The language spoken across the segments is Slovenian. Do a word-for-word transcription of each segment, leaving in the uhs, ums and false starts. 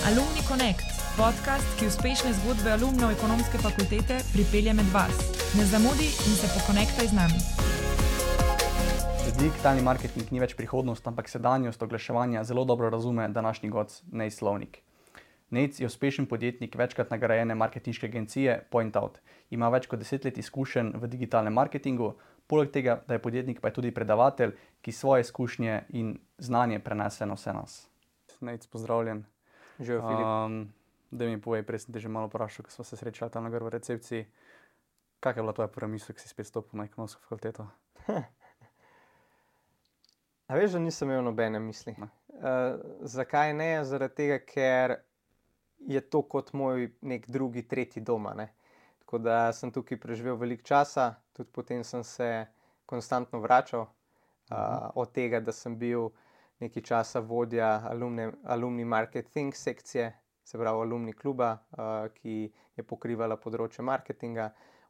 Alumni Connect, podcast, ki uspešne zgodbe alumnov ekonomske fakultete pripelje med vas. Ne zamudi in se pokonektaj z nami. Digitalni marketing ni več prihodnost, ampak sedanjost oglaševanja zelo dobro razume današnji gost Nejc Slovnik. Nejc je uspešen podjetnik večkrat nagrajene marketinške agencije PointOut. Ima več kot deset let izkušenj v digitalnem marketingu, poleg tega, da je podjetnik, pa je tudi predavatelj, ki svoje izkušnje in znanje prenese na vse nas. Nejc, pozdravljen. Živijo, Filip. Um, da mi povej, prej sem te že malo vprašal, ko smo se srečali tam na gor v recepciji. Kakšna je bila tvoja prva misel, ko si spet stopil na ekonomsko fakulteto? A veš, da nisem imel nobene misli. Uh, zakaj ne? Zaradi tega, ker je to kot moj nek drugi, tretji doma. Ne? Tako da sem tukaj preživel veliko časa, tudi potem sem se konstantno vračal. Uh, od tega, da sem bil nekaj časa vodja alumni, alumni marketing sekcije, se pravi alumni kluba, uh, ki je pokrivala področje marketinga,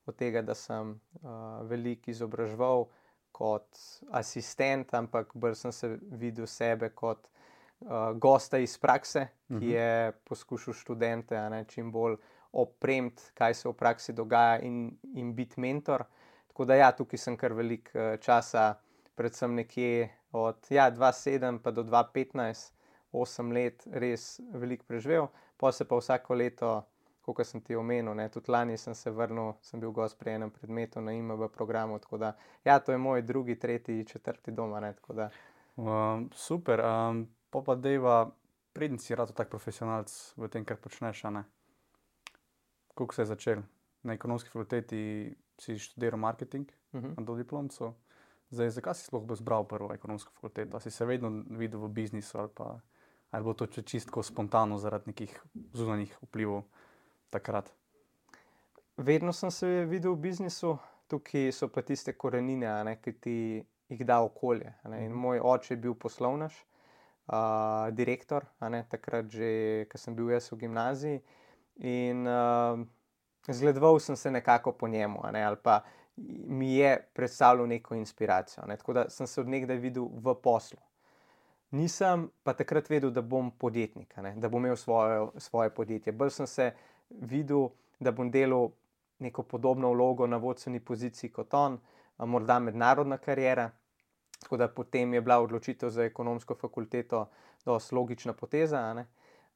od tega, da sem uh, veliko izobraževal kot asistent, ampak bolj sem se videl sebe kot uh, gosta iz prakse, ki uh-huh. je poskušal študente a ne, čim bolj opremiti, kaj se v praksi dogaja in, in biti mentor. Tako da ja, tukaj sem kar veliko uh, časa, predvsem nekje od ja, dva tisoč sedem pa do dva tisoč petnajst, osem let res veliko preživel, pa se pa vsako leto, kot sem ti omenil, ne, tudi lani sem se vrnil, sem bil gost pri enem predmetu na I M B programu, tako da ja, to je moj drugi, tretji, četrti doma, ne, tako da. Um, super, um, pa pa dejva, preden si rado tak profesionalc v tem, kar počneš, a ne? Kako se je začel? Na ekonomski fakulteti si študiral marketing, Uh-huh. na dodiplomcu. Zdaj, zakaj si sploh izbral prvo ekonomsko fakulteto? A si se vedno videl v biznisu ali pa ali bo to čisto spontano zaradi nekih zunanjih vplivov takrat? Vedno sem se videl v biznisu, tukaj so pa tiste korenine, a ne, ki ti jih da okolje. A ne. In moj oče je bil poslovnež, uh, direktor, a ne, takrat že, ko sem bil jaz v gimnaziji. In uh, zgledoval sem se nekako po njemu, a ne, ali pa mi je predstavljal neko inspiracijo. Ne. Tako da sem se od nekdaj videl v poslu. Nisem pa takrat vedel, da bom podjetnik, a ne, da bom imel svoje, svoje podjetje. Bolj sem se videl, da bom delal neko podobno vlogo na vodstveni poziciji kot on, morda mednarodna kariera. Tako da potem je bila odločitev za ekonomsko fakulteto dosti logična poteza. A ne.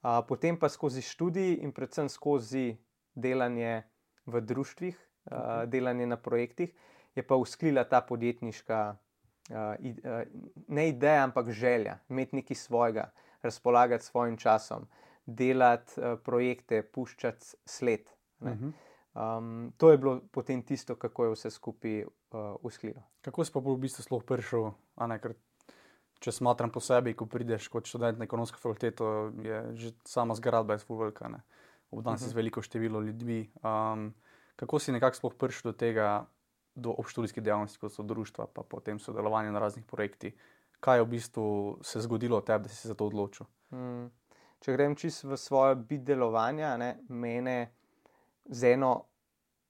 A, potem pa skozi študij in predvsem skozi delanje v društvih, a, delanje na projektih, je pa usklila ta podjetniška Uh, uh, ne ideja, ampak želja, imeti nekaj svojega, razpolagati svojim časom, delati uh, projekte, puščati sled. Uh-huh. Um, to je bilo potem tisto, kako je vse skupaj uh, usklilo. Kako si pa v bistvu sploh prišel, a ne, ker če smatram po sebi, ko prideš kot študent na ekonomsko fakulteto, je že sama zgradba je ful velika, ne. Obdan si uh-huh. z veliko število ljudmi. Um, kako si nekako sploh prišel do tega, do obštudijskih dejavnosti, kot so društva, pa potem sodelovanje na raznih projektih. Kaj je v bistvu se zgodilo od tebe, da si se za to odločil? Hmm. Če grem čisto v svoje bit delovanja, ne, mene z eno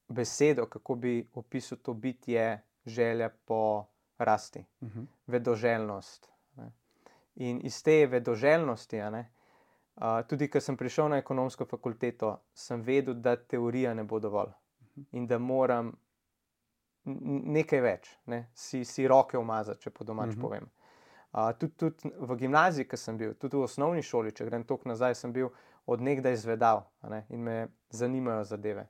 besedo, kako bi opisal to bit, je želja po rasti, uh-huh. vedoželjnost. Ne. In iz te vedoželjnosti, a ne, uh, tudi ko sem prišel na ekonomsko fakulteto, sem vedel, da teorija ne bo dovolj uh-huh. in da moram nekaj več, ne? si, si roke umazati, če po domač uh-huh. povem. Uh, tudi, tudi v gimnaziji, ko sem bil, tudi v osnovni šoli, če grem toliko nazaj, sem bil od nekdaj zvedav, a ne? In me zanimajo zadeve.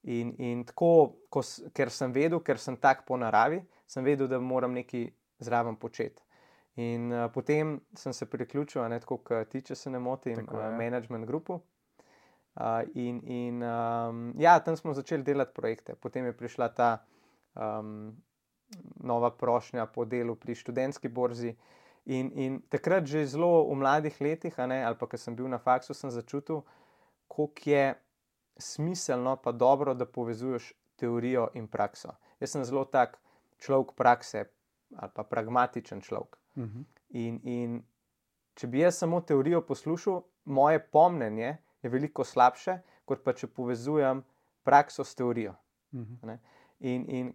In, in tako, ko, ker sem vedel, ker sem tak po naravi, sem vedel, da moram nekaj zraven početi. In uh, potem sem se priključil, a ne, tako kot ti, če se ne motim, uh, management grupu. Uh, in in um, ja, tam smo začeli delati projekte. Potem je prišla ta Um, nova prošnja po delu pri študentski borzi in, in takrat že zelo v mladih letih, a ne, ali pa ko sem bil na faksu, sem začutil, koliko je smiselno pa dobro, da povezuješ teorijo in prakso. Jaz sem zelo tak človek prakse ali pa pragmatičen človek. Uh-huh. In, in če bi jaz samo teorijo poslušal, moje pomnenje je veliko slabše, kot pa če povezujem prakso s teorijo. Uh-huh. In, in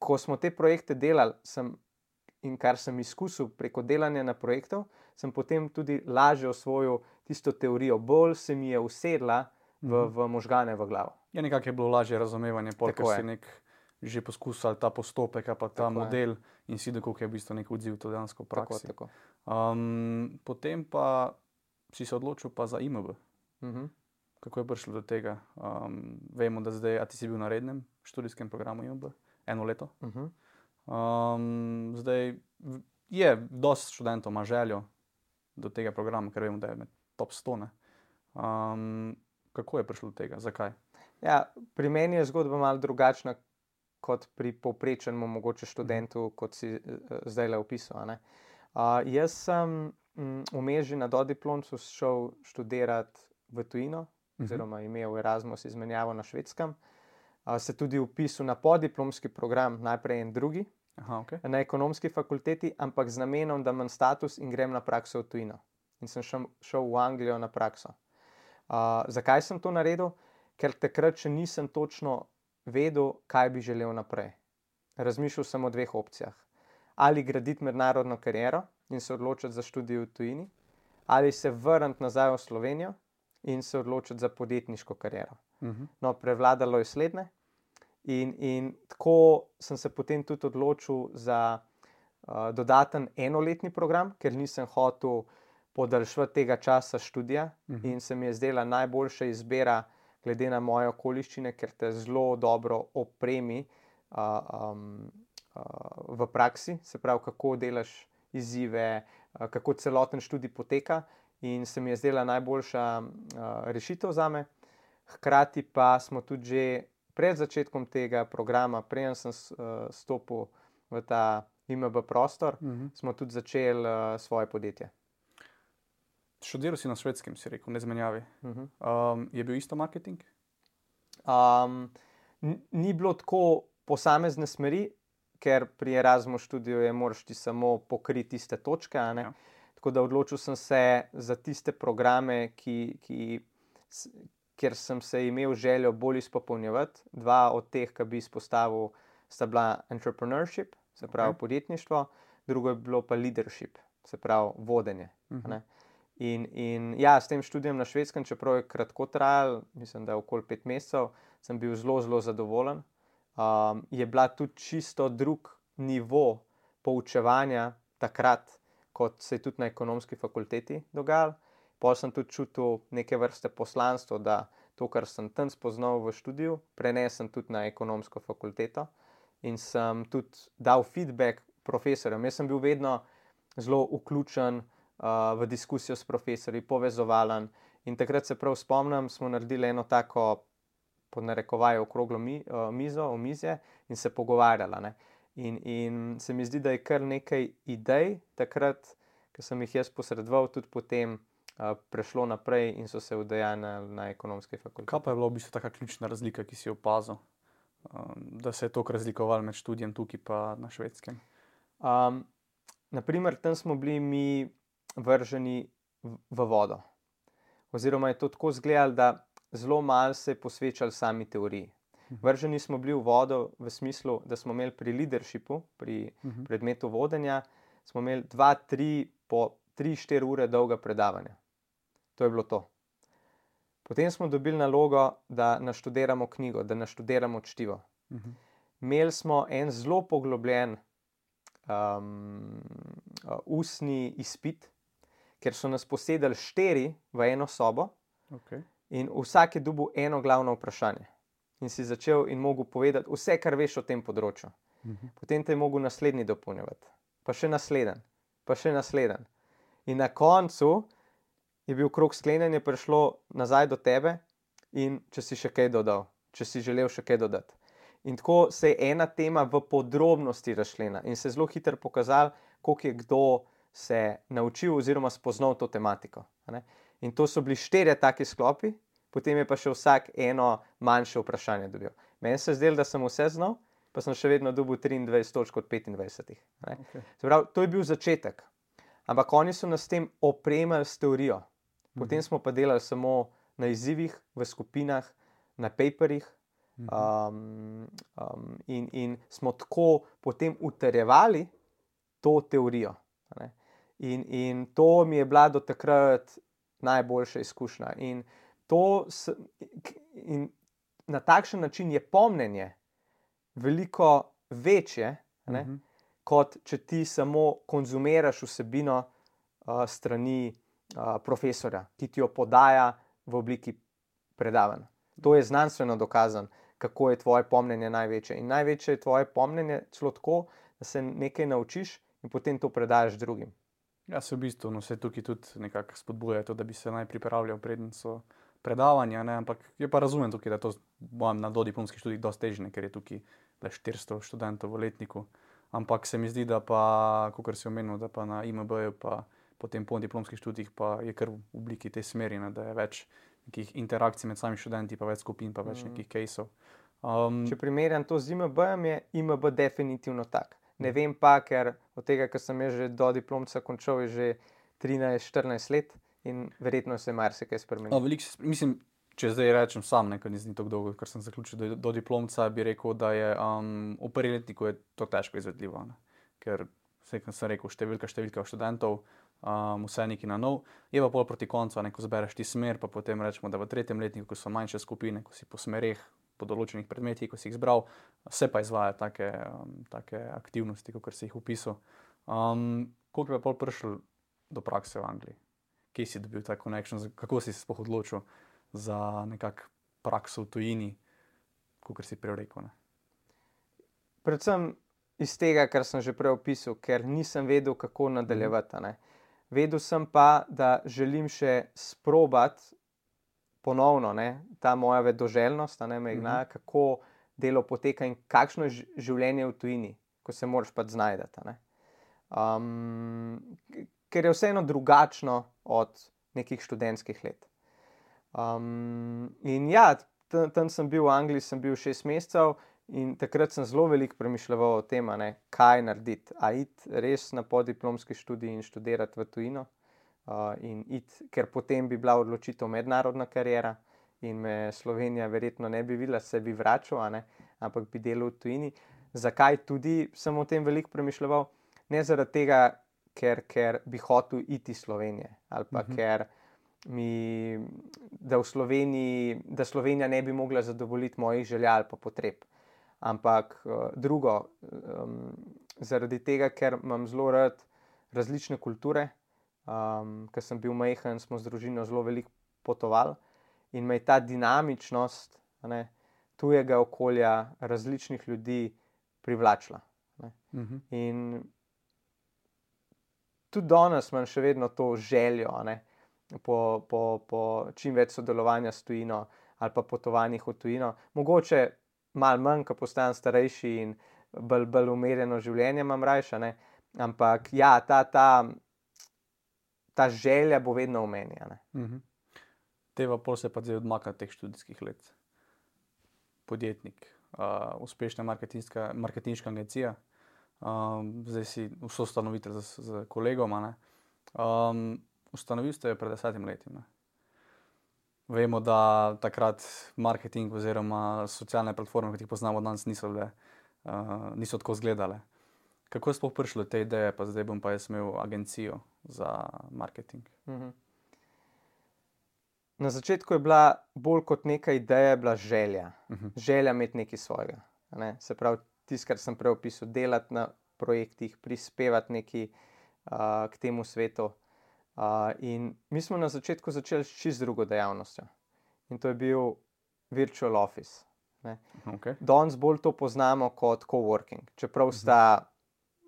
ko smo te projekte delali, sem, in kar sem izkusil preko delanja na projektov, sem potem tudi lažje osvojil tisto teorijo, bolj se mi je usedla v, v možgane, v glavo. Ja, nekako je bilo lažje razumevanje, ker si nek že poskusal ta postopek, pa ta tako model je. In si dokoliko je v bistvu nek odziv to dejansko v praksi. Tako, tako. Um, potem pa si se odločil pa za I M B. Uh-huh. Kako je prišlo do tega? Um, vemo, da zdaj, a ti si bil na rednem študijskem programu I M B, eno leto. Uh-huh. Um, zdaj je dosti študentov ima željo do tega programa, ker vemo, da je med top sto. Um, kako je prišlo do tega? Zakaj? Ja, pri meni je zgodba malo drugačna kot pri povprečnemu mogoče študentu, kot si uh, zdaj le opisal. Uh, jaz sem vmes že na dodiplomcu šel študirati v tujino, uh-huh. oziroma imel Erasmus izmenjavo na Švedskem. Uh, se tudi vpisal na podiplomski program, najprej en drugi, Aha, okay. na ekonomski fakulteti, ampak z namenom, da imam status in grem na prakso v tujino. In sem šel, šel v Anglijo na prakso. Uh, zakaj sem to naredil? Ker takrat še nisem točno vedel, kaj bi želel naprej. Razmišljal sem o dveh opcijah. Ali graditi mednarodno kariero in se odločiti za študij v tujini, ali se vrniti nazaj v Slovenijo in se odločiti za podjetniško kariero. Uh-huh. No, prevladalo je slednje. In, in tako sem se potem tudi odločil za uh, dodaten enoletni program, ker nisem hotel podaljšati tega časa študija uh-huh. in se mi je zdela najboljša izbira glede na moje okoliščine, ker te zelo dobro opremi uh, um, uh, v praksi, se pravi, kako delaš izzive, uh, kako celoten študij poteka, in se mi je zdela najboljša uh, rešitev zame. Hkrati pa smo tudi že pred začetkom tega programa, preden sem uh, stopil v ta I M B prostor, uh-huh. smo tudi začeli uh, svoje podjetje. Študiral si na Švedskem, si rekel, ne zmenjavi. Uh-huh. Um, je bil isto marketing? Um, n- ni bilo tako posamezne smeri, ker pri Erasmus študiju je moraš ti samo pokriti tiste točke. A ne? Ja. Tako da odločil sem se za tiste programe, ki, ki, s, kjer sem se imel željo bolj izpopolnjevati. Dva od teh, ki bi izpostavil, sta bila entrepreneurship, se pravi okay. podjetništvo, drugo je bilo pa leadership, se pravi vodenje. Uh-huh. Ne? In, in ja, s tem študijem na Švedskem, čeprav je kratko trajal, mislim, da je okoli pet mesecev, sem bil zelo, zelo zadovoljen. Um, je bila tudi čisto drug nivo poučevanja takrat, kot se je tudi na ekonomski fakulteti dogajalo. Potem sem tudi čutil neke vrste poslanstvo, da to, kar sem tam spoznal v študiju, prenesem tudi na ekonomsko fakulteto in sem tudi dal feedback profesorjem. Jaz sem bil vedno zelo vključen Uh, v diskusijo s profesorji, povezovalen. In takrat se prav spomnim, smo naredili eno tako, pod narekovaje, okroglo mi, uh, mizo, omizje in se pogovarjala. Ne? In, in se mi zdi, da je kar nekaj idej takrat, ki sem jih jaz posredoval, tudi potem uh, prešlo naprej in so se udejanjali na ekonomski fakulteti. Kaj pa je bila v bistvu taka ključna razlika, ki si jo opazil, um, da se je toliko razlikoval med študijem tukaj pa na Švedskem? Um, naprimer, tam smo bili mi vrženi v vodo. Oziroma je to tako izgledalo, da zelo malo se je posvečali sami teoriji. Vrženi smo bili v vodo v smislu, da smo imeli pri leadershipu, pri uh-huh. predmetu vodenja, smo imeli dva, tri, po tri, štiri ure dolga predavanja. To je bilo to. Potem smo dobili nalogo, da naštudiramo knjigo, da naštudiramo čtivo. Uh-huh. Imeli smo en zelo poglobljen um, uh, ustni izpit, ker so nas posedali štiri v eno sobo okay. in vsak je dobil eno glavno vprašanje. In si začel in mogel povedati vse, kar veš o tem področju. Uh-huh. Potem te je mogel naslednji dopolnjevati, pa še naslednji, pa še naslednji. In na koncu je bil krog sklenjanja, prišlo nazaj do tebe in če si še kaj dodal, če si želel še kaj dodati. In tako se je ena tema v podrobnosti razšljena in se je zelo hitro pokazal, koliko je kdo se naučil oziroma spoznal to tematiko. Ne? In to so bili štirje taki sklopi, potem je pa še vsak eno manjše vprašanje dobil. Meni se je zdelo, da sem vse znal, pa sem še vedno dobil triindvajset točk od petindvajsetih. Okay. Se pravi, to je bil začetek. Ampak oni so nas s tem opremili s teorijo. Potem mm-hmm. smo pa delali samo na izzivih, v skupinah, na paperjih mm-hmm. um, um, in, in smo tako potem utrjevali to teorijo. Ne? In, in to mi je bila do takrat najboljša izkušnja. In, to s, in na takšen način je pomnenje veliko večje, ne, uh-huh. kot če ti samo konzumiraš vsebino uh, strani uh, profesorja, ki ti jo podaja v obliki predavanj. To je znanstveno dokazano, kako je tvoje pomnenje največje. In največje je tvoje pomnenje celo tako, da se nekaj naučiš in potem to predaš drugim. Ja, se v bistvu, no, se tukaj tudi nekako spodbuja to, da bi se naj pripravljal preden so predavanja, ne, ampak je pa razumem tukaj, da to bom na dodiplomskih študijih dosti težje, ker je tukaj le štiristo študentov v letniku, ampak se mi zdi, da pa, kakor si omenil, da pa na I M B-ju pa potem po diplomskih študijih pa je kar v obliki te smeri, ne, da je več nekih interakcij med samimi študenti, pa več skupin, pa več mm. nekih caseov. Um, Če primerjam to z I M B-jem, je I M B definitivno tak. Ne vem pa, ker od tega, ker sem že do diplomca končal, je že trinajst štirinajst let in verjetno se je marsikaj spremenilo. No, veliko, mislim, če zdaj rečem sam, ne, ker ni tako dolgo, ker sem zaključil do, do diplomca, bi rekel, da je um, v prvi letniku je to težko izvedljivo, ne. Ker vse, kot sem rekel, številka, številka študentov, um, vse neki na nov, je pa pol proti koncu, ne, ko zbereš ti smer, pa potem rečemo, da v tretjem letniku, ko so manjše skupine, ko si po smereh, po določenih predmetih, ko si jih zbral, se pa izvaja take, um, take aktivnosti, kot si jih opisal. Um, koliko je pa pol prišel do prakse v Angliji? Kje si dobil ta connection? Kako si se sploh odločil za nekak prakso v tujini, kot si prej rekel? Ne? Predvsem iz tega, kar sem že prej opisal, ker nisem vedel, kako nadaljevati. Ne? Vedel sem pa, da želim še sprobati ponovno, ne, ta moja vedoželjnost, ne, me igna, mm-hmm. kako delo poteka in kakšno je življenje v tujini, ko se moraš pač znajdati. Ne. Um, ker je vseeno drugačno od nekih študentskih let. Um, in ja, tam, tam sem bil v Angliji, sem bil šest mesecev in takrat sem zelo veliko premišljeval o tem, ne, kaj narediti. A iti res na podiplomski študij in študirati v tujino. Uh, in it, ker potem bi bila odločitev mednarodna kariera in me Slovenija verjetno ne bi videla, se bi vračal, a ne, ampak bi delal v tujini. Zakaj tudi sem o tem veliko premišljeval? Ne zaradi tega, ker, ker bi hotel iti iz Slovenije ali pa uh-huh. ker mi, da, v Sloveniji, da Slovenija ne bi mogla zadovoljiti mojih želja ali pa potreb. Ampak uh, drugo, um, zaradi tega, ker imam zelo rad različne kulture. Um, ker sem bil majhen, smo z družino zelo veliko potovali in me je ta dinamičnost, ne, tujega okolja, različnih ljudi privlačila. Ne. Uh-huh. In tudi danes imam še vedno to željo, ne, po, po, po čim več sodelovanja s tujino ali pa potovanjih v tujino. Mogoče malo manj, ko postanem starejši in bolj, bolj umirjeno življenje imam rajša, ne, ampak ja, ta, ta ta želja bo vedno v meni. Uh-huh. Teva pol se pa zdaj odmaka teh študijskih let. Podjetnik, uh, uspešna marketinška agencija, um, zdaj si soustanovitelj z, z kolegom. Um, ustanovil ste jo pred desetim letim. Ne? Vemo, da takrat marketing oziroma socialne platforme, kot jih poznamo danes, niso, bile, uh, niso tako izgledale. Kako je sploh prišlo do te ideje, pa zdaj bom pa jaz imel agencijo za marketing? Mhm. Na začetku je bila bolj kot neka ideja, bila želja. Mhm. Želja imeti nekaj svojega. Ne? Se pravi, tisto, kar sem prej opisal, delati na projektih, prispevati nekaj uh, k temu svetu. Uh, in mi smo na začetku začeli s čisto drugo dejavnostjo. In to je bil virtual office. Ne? Okay. Danes bolj to poznamo kot coworking, čeprav mhm. sta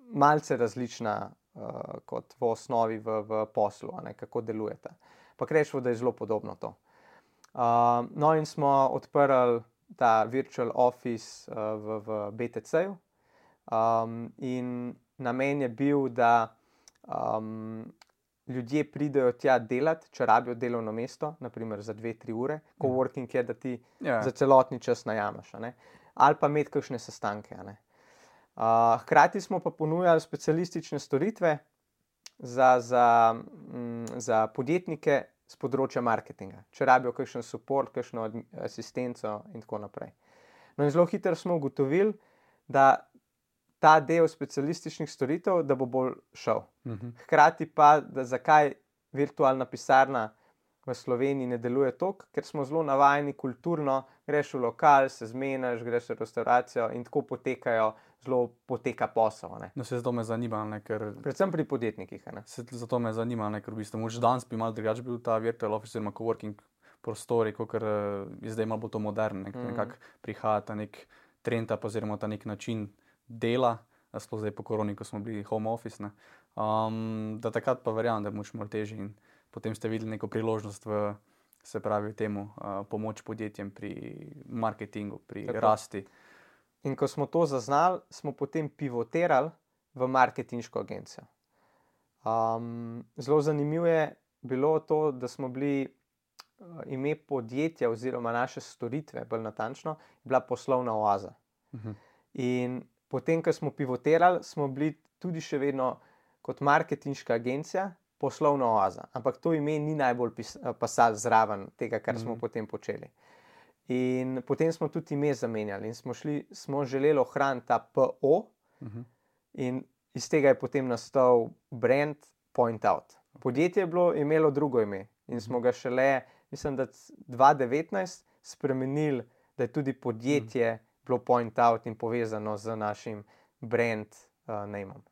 malce različna uh, kot v osnovi v, v poslu, ne, kako delujete. Pa rečemo, da je zelo podobno to. Uh, no in smo odprli ta virtual office uh, v, v B T C-ju um, in namen je bil, da um, ljudje pridejo tja delati, če rabijo delovno mesto, naprimer za dve, tri ure. Coworking je, da ti yeah. za celotni čas najameš, ne? Ali pa imeti kakšne sestanke, ne? Uh, hkrati smo pa ponujali specialistične storitve za, za, m, za podjetnike z področja marketinga, če rabijo kakšen support, kakšno asistenco in tako naprej. No in zelo hitro smo ugotovili, da ta del specialističnih storitev, da bo bolj šel. Uh-huh. Hkrati pa, da zakaj virtualna pisarna v Sloveniji ne deluje toliko, ker smo zelo navajeni kulturno, greš v lokal, se zmeniš, greš v restauracijo in tako potekajo, zelo poteka posel. Ne. No, se zato me zanima, ne, ker... Predvsem pri podjetnikih. Ne. Se, zato me zanima, ne, ker v bistvu moč danes bi malo drugače bil ta virtual office oziroma coworking prostori, kakor je zdaj malo bo to modern, ne, mm. nekako prihaja ta nek trend, pa oziroma ta nek način dela, sploh zdaj po koroni, ko smo bili home office, ne. Um, da takrat pa verjamem, da je moč malo težji in potem ste videli neko priložnost v, se pravi, temu uh, pomoč podjetjem pri marketingu, pri Tako. rasti. In ko smo to zaznali, smo potem pivotirali v marketinško agencijo. Um, zelo zanimivo je bilo to, da smo bili uh, ime podjetja oziroma naše storitve, bolj natančno, bila poslovna oaza. Uh-huh. In potem, ko smo pivotirali, smo bili tudi še vedno kot marketinška agencija, poslovna oaza, ampak to ime ni najbolj pasalo zraven tega, kar smo mm. potem počeli. In potem smo tudi ime zamenjali in smo, šli, smo želeli ohraniti ta P O mm-hmm. in iz tega je potem nastal brand Point Out. Podjetje je bilo, imelo drugo ime in smo ga šele, mislim, da dva tisoč devetnajst spremenili, da je tudi podjetje mm. bilo Point Out in povezano z našim brand uh, name-om.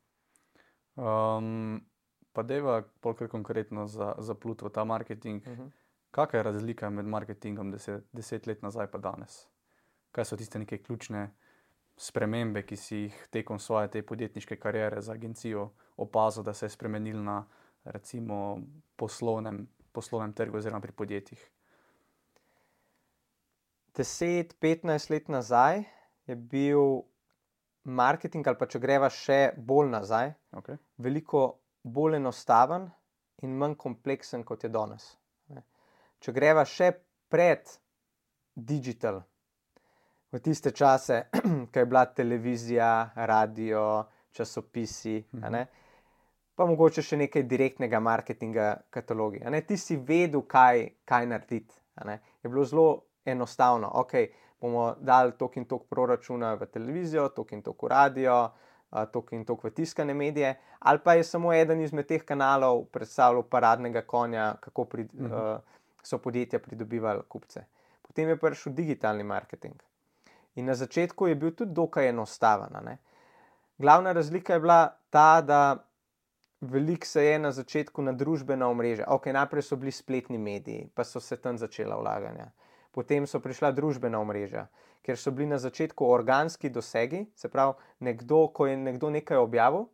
Um, Pa deva polkrat konkretno za, za plut v ta marketing. Uh-huh. Kakšna je razlika med marketingom deset, deset let nazaj pa danes? Kaj so tiste neke ključne spremembe, ki si jih tekom svoje te podjetniške kariere za agencijo opazil, da se je spremenil na recimo poslovnem, poslovnem trgu oziroma pri podjetjih? deset petnajst let nazaj je bil marketing, ali pa če greva še bolj nazaj, okay. veliko bolj enostaven in manj kompleksen, kot je danes. Če greva še pred digital, v tiste čase, ko je bila televizija, radio, časopisi, mm-hmm. a ne, pa mogoče še nekaj direktnega marketinga, katalogi. A ne, ti si vedel, kaj, kaj narediti. A ne. Je bilo zelo enostavno. Ok, bomo dali toliko in toliko proračuna v televizijo, toliko in toliko v radio, toliko in toliko v tiskane medije, ali pa je samo eden izmed teh kanalov predstavljal paradnega konja, kako pri, uh-huh. uh, so podjetja pridobivali kupce. Potem je prišel digitalni marketing. In na začetku je bil tudi dokaj enostaven. Ne? Glavna razlika je bila ta, da veliko se je na začetku na družbena omrežja. Ok, najprej so bili spletni mediji, pa so se tam začela vlaganja. Potem so prišla družbena omrežja, ker so bili na začetku organski dosegi, se pravi, nekdo, ko je nekdo nekaj objavil,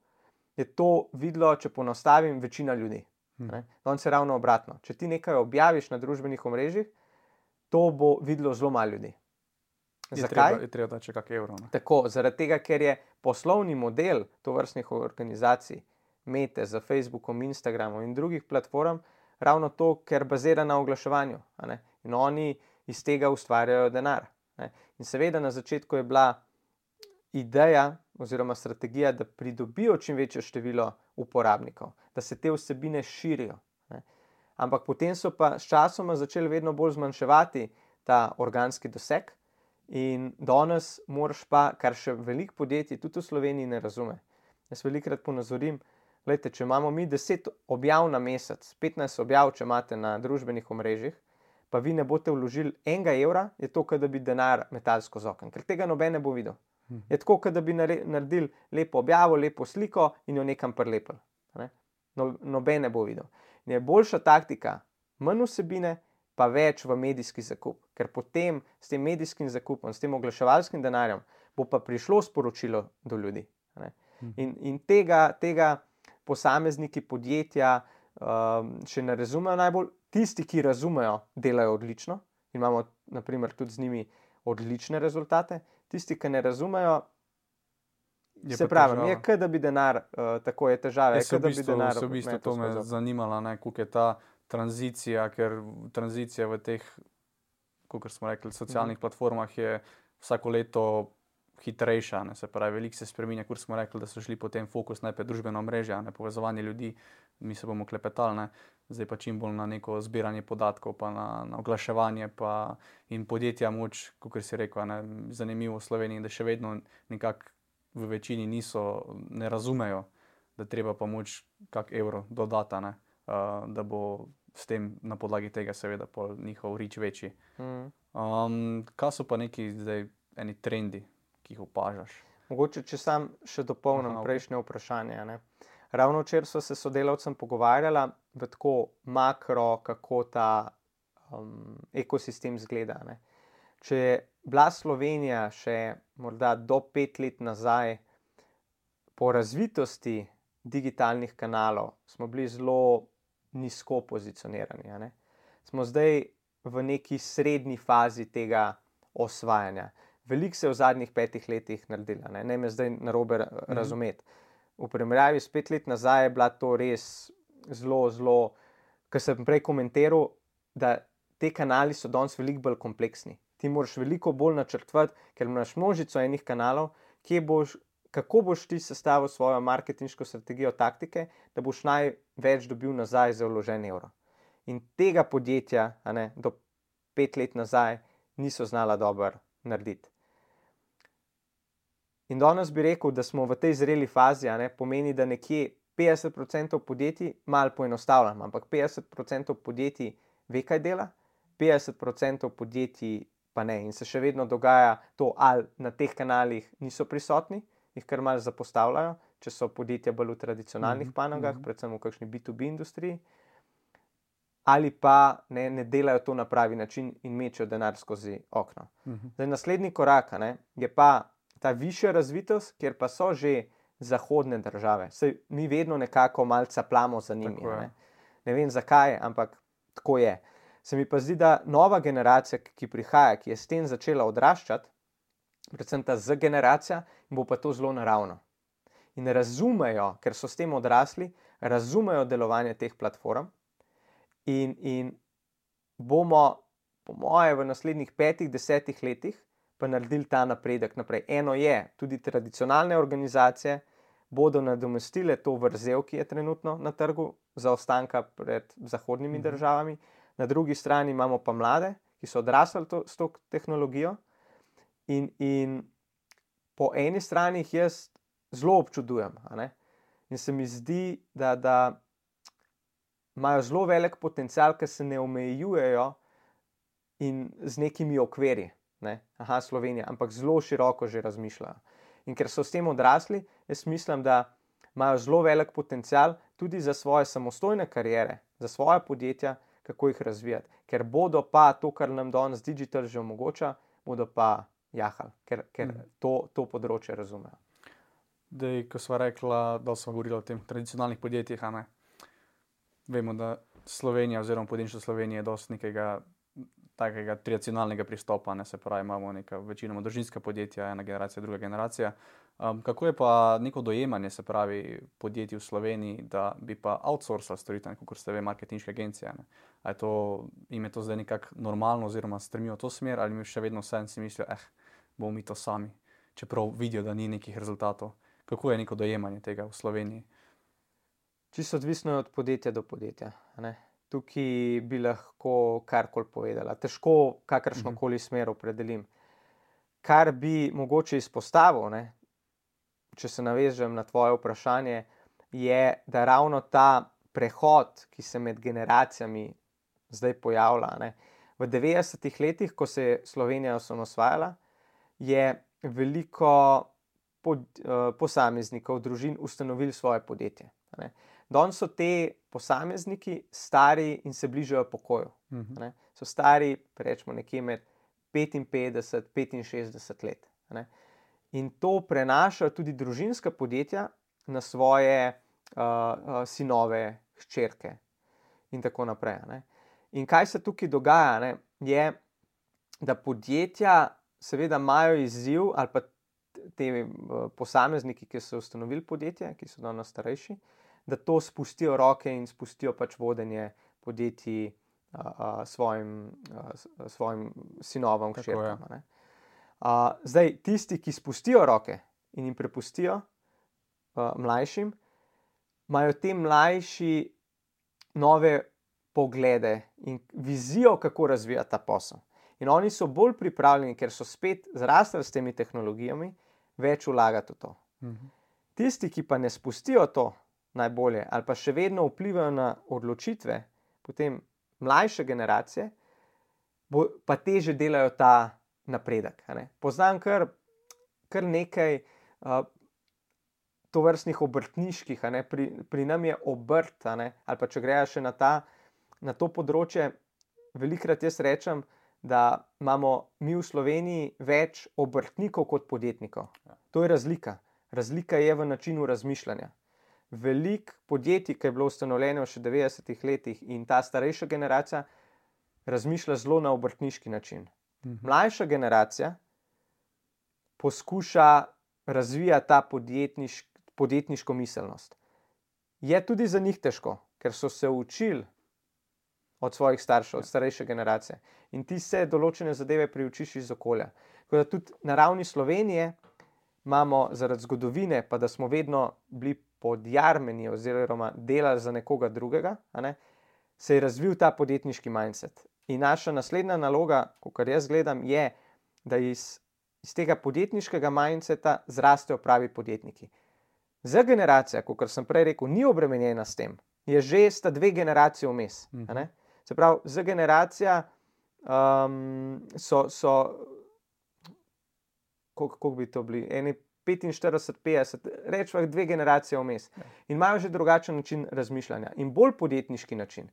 je to videlo, če ponostavim, večina ljudi. Hmm. Danes je ravno obratno. Če ti nekaj objaviš na družbenih omrežjih, to bo videlo zelo malo ljudi. Je Zakaj? Treba, je treba dati še kak evro. Ne? Tako, zaradi tega, ker je poslovni model tovrstnih organizacij, Mete za Facebookom, Instagramom in drugih platform, ravno to, ker bazira na oglaševanju. A ne? In oni iz tega ustvarjajo denar. Ne? In seveda na začetku je bila ideja oziroma strategija, da pridobijo čim večje število uporabnikov, da se te vsebine širijo. Ne? Ampak potem so pa s časoma začeli vedno bolj zmanjševati ta organski doseg in danes moraš pa, kar še veliko podjetij tudi v Sloveniji ne razume. Jaz velikokrat ponazorim, gledajte, če imamo mi deset objav na mesec, petnajst objav, če imate na družbenih omrežjih, pa vi ne boste vložili enega evra, je to, kot da bi denar metali skozi okno, ker tega noben ne bo videl. Hmm. Je tako, kot da bi naredili lepo objavo, lepo sliko in jo nekam prilepili. Ne? No, noben ne bo videl. In je boljša taktika, manj vsebine, pa več v medijski zakup, ker potem s tem medijskim zakupom, s tem oglaševalskim denarjem, bo pa prišlo sporočilo do ljudi. Ne? Hmm. In, in tega, tega posamezniki podjetja um, še ne razumejo najbolj. Tisti, ki razumejo, delajo odlično in imamo naprimer tudi z njimi odlične rezultate. Tisti, ki ne razumejo, je se pravi, je kaj, da bi denar, uh, tako je težave. Je se v bistvu, v bistvu to me zanimalo, koliko je ta tranzicija, ker tranzicija v teh, kot smo rekli, socialnih mm. platformah je vsako leto hitrejša, ne, se pravi, veliko se spreminja, kot smo rekli, da so šli potem fokus najprej družbena omrežja, ne, povezovanje ljudi, mi se bomo klepetali, ne, zdaj pa čim bolj na neko zbiranje podatkov, pa na, na oglaševanje, pa in podjetja moč, kot si rekel, ne, zanimivo v Sloveniji, da še vedno nekako v večini niso, ne razumejo, da treba pa moč kak evro dodata, ne, uh, da bo s tem na podlagi tega seveda pol njihov reach večji. Mm. Um, kaj so pa neki zdaj eni trendi, ki jih opažaš? Mogoče, če sam še dopolnim Aha, ok. prejšnje vprašanje. Ne? Ravno včeraj sva se s sodelavcem pogovarjala v tako makro, kako ta um, ekosistem zgleda. Ne? Če je bila Slovenija še morda do pet let nazaj po razvitosti digitalnih kanalov, smo bili zelo nizko pozicionirani. A ne? Smo zdaj v neki srednji fazi tega osvajanja. Veliko se je v zadnjih petih letih naredilo, ne, ne me zdaj narobe mm-hmm. razumeti. V primerjavi s pet let nazaj je bila to res zelo, zelo, kar sem prej komentiral, da te kanali so danes veliko bolj kompleksni. Ti moraš veliko bolj načrtovati, ker imaš množico enih kanalov, kje boš, kako boš ti sestavil svojo marketinško strategijo, taktike, da boš največ dobil nazaj za vložen evro. In tega podjetja, a ne, do pet let nazaj niso znala dobro narediti. In danes bi rekel, da smo v tej zreli fazi, a ne, pomeni, da nekje petdeset procentov podjetij, malo poenostavljam, ampak petdeset procentov podjetij ve, kaj dela, petdeset procentov podjetij pa ne. In se še vedno dogaja to, ali na teh kanalih niso prisotni, jih kar malo zapostavljajo, če so podjetja bolj v tradicionalnih Mhm, panogah, mhm. predvsem v kakšni B to B industriji, ali pa ne, ne delajo to na pravi način in mečejo denar skozi okno. Mhm. Zdaj, naslednji korak, a ne, je pa ta višja razvitost, kjer pa so že zahodne države. Saj mi vedno nekako malce plamo za njimi. Tako je. Ne. ne vem zakaj, ampak tako je. Se mi pa zdi, da nova generacija, ki prihaja, ki je s tem začela odraščati, predvsem ta Z generacija, bo pa to zelo naravno. In razumejo, ker so s tem odrasli, razumejo delovanje teh platform in, in bomo, po moje, v naslednjih petih, desetih letih pa naredili ta napredek naprej. Eno je, tudi tradicionalne organizacije bodo nadomestile to vrzel, ki je trenutno na trgu, zaostanka pred zahodnimi Mhm. državami. Na drugi strani imamo pa mlade, ki so odrasli to, s to tehnologijo in, in po eni strani jih jaz zelo občudujem, a ne? In se mi zdi, da, da imajo zelo velik potencial, ker se ne omejujejo in z nekimi okvirji, ne? Aha, Slovenija, ampak zelo široko že razmišljajo. In ker so s tem odrasli, jaz mislim, da imajo zelo velik potencial tudi za svoje samostojne kariere, za svoje podjetja, kako jih razvijati. Ker bodo pa to, kar nam danes digital že omogoča, bodo pa jahali, ker, ker Mhm. to, to področje razumejo. Dej, ko sva rekla, da smo govorili o tem tradicionalnih podjetjih, a ne? Vemo, da Slovenija oziroma podjetništvo Slovenije je dosti nekega takega tradicionalnega pristopa, ne, se pravi, imamo neka večinoma družinska podjetja, ena generacija, druga generacija. Um, kako je pa neko dojemanje, se pravi, podjetij v Sloveniji, da bi pa outsourcali storitev, kot ste ve, marketinške agencije, ne? A je to, im je to zdaj nekako normalno oziroma stremijo v to smer, ali mi še vedno vsem si mislijo, eh, bomo mi to sami, čeprav vidijo, da ni nekih rezultatov. Kako je neko dojemanje tega v Sloveniji? Čisto odvisno je od podjetja do podjetja, a ne. Tukaj bi lahko karkoli povedala. Težko kakršnokoli smer opredelim. Kar bi mogoče izpostavil, ne, če se navežem na tvoje vprašanje, je, da ravno ta prehod, ki se med generacijami zdaj pojavlja, ne. V devetdesetih letih, ko se je Slovenija osamosvajala, je veliko pod, uh, posameznikov, družin ustanovili svoje podjetje, a ne. Danes so te posamezniki stari in se bližajo pokoju. Mhm. Ne. So stari, rečemo, nekje med petinpetdeset in petinšestdeset let. Ne. In to prenašajo tudi družinska podjetja na svoje uh, uh, sinove, hčerke in tako naprej. Ne. In kaj se tukaj dogaja, ne, je, da podjetja seveda imajo izziv, ali pa te uh, posamezniki, ki so ustanovili podjetje, ki so danes starejši, da to spustijo roke in spustijo pač vodenje podjetij uh, uh, svojim, uh, svojim sinovom, Tako je. hčerkam. Ne. Uh, zdaj, tisti, ki spustijo roke in jim prepustijo uh, mlajšim, imajo te mlajši nove poglede in vizijo, kako razvijati ta posel. In oni so bolj pripravljeni, ker so spet zrasli s temi tehnologijami, več vlagati v to. Mhm. Tisti, ki pa ne spustijo to najbolje ali pa še vedno vplivajo na odločitve potem mlajše generacije, bo, pa teže delajo ta napredek. A ne? Poznam kar, kar nekaj uh, tovrstnih obrtniških, a ne? Pri, pri nam je obrt, a ne? Ali pa če greja še na, ta, na to področje, velikrat jaz rečem, da imamo mi v Sloveniji več obrtnikov kot podjetnikov. To je razlika. Razlika je v načinu razmišljanja. Veliko podjetij, ki je bilo ustanovljeno še v devetdesetih letih in ta starejša generacija razmišlja zelo na obrtniški način. Mlajša generacija poskuša razvijati ta podjetniš, podjetniško miselnost. Je tudi za njih težko, ker so se učili od svojih staršev, od starejše generacije. In ti se določene zadeve priučiš iz okolja. Tako da tudi na ravni Slovenije imamo zaradi zgodovine, pa da smo vedno bili podjarmeni oziroma delali za nekoga drugega, a ne, se je razvil ta podjetniški mindset. In naša naslednja naloga, kakor jaz gledam, je, da iz, iz tega podjetniškega mindseta zrastejo pravi podjetniki. Za generacija, kakor sem prej rekel, ni obremenjena s tem, je že sta dve generacije vmes. Mm-hmm. A ne? Se pravi, za generacija um, so, so koliko, koliko bi to bili, eni petinštirideset, petdeset, rečemo dve generacije vmes. In imajo že drugačen način razmišljanja in bolj podjetniški način.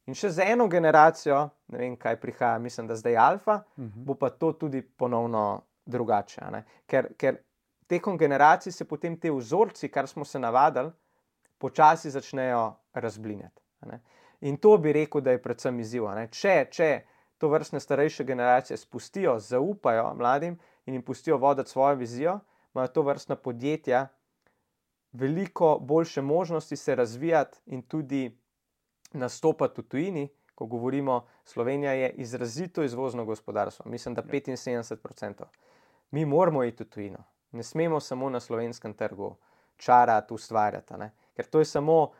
In še za eno generacijo, ne vem, kaj prihaja, mislim, da zdaj alfa, uh-huh. bo pa to tudi ponovno drugače. A ne? Ker, ker tekom generacij se potem te vzorci, kar smo se navadili, počasi začnejo razblinjati. A ne? In to bi rekel, da je predvsem izziv. A ne? Če, če to vrstne starejše generacije spustijo, zaupajo mladim in jim pustijo voditi svojo vizijo, imajo to vrstna podjetja veliko boljše možnosti se razvijati in tudi nastopati v tujini. Ko govorimo, Slovenija je izrazito izvozno gospodarstvo, mislim, da petinsedemdeset procentov. Mi moramo iti v tujino, ne smemo samo na slovenskem trgu čarati, ustvarjati, ne? Ker to je samo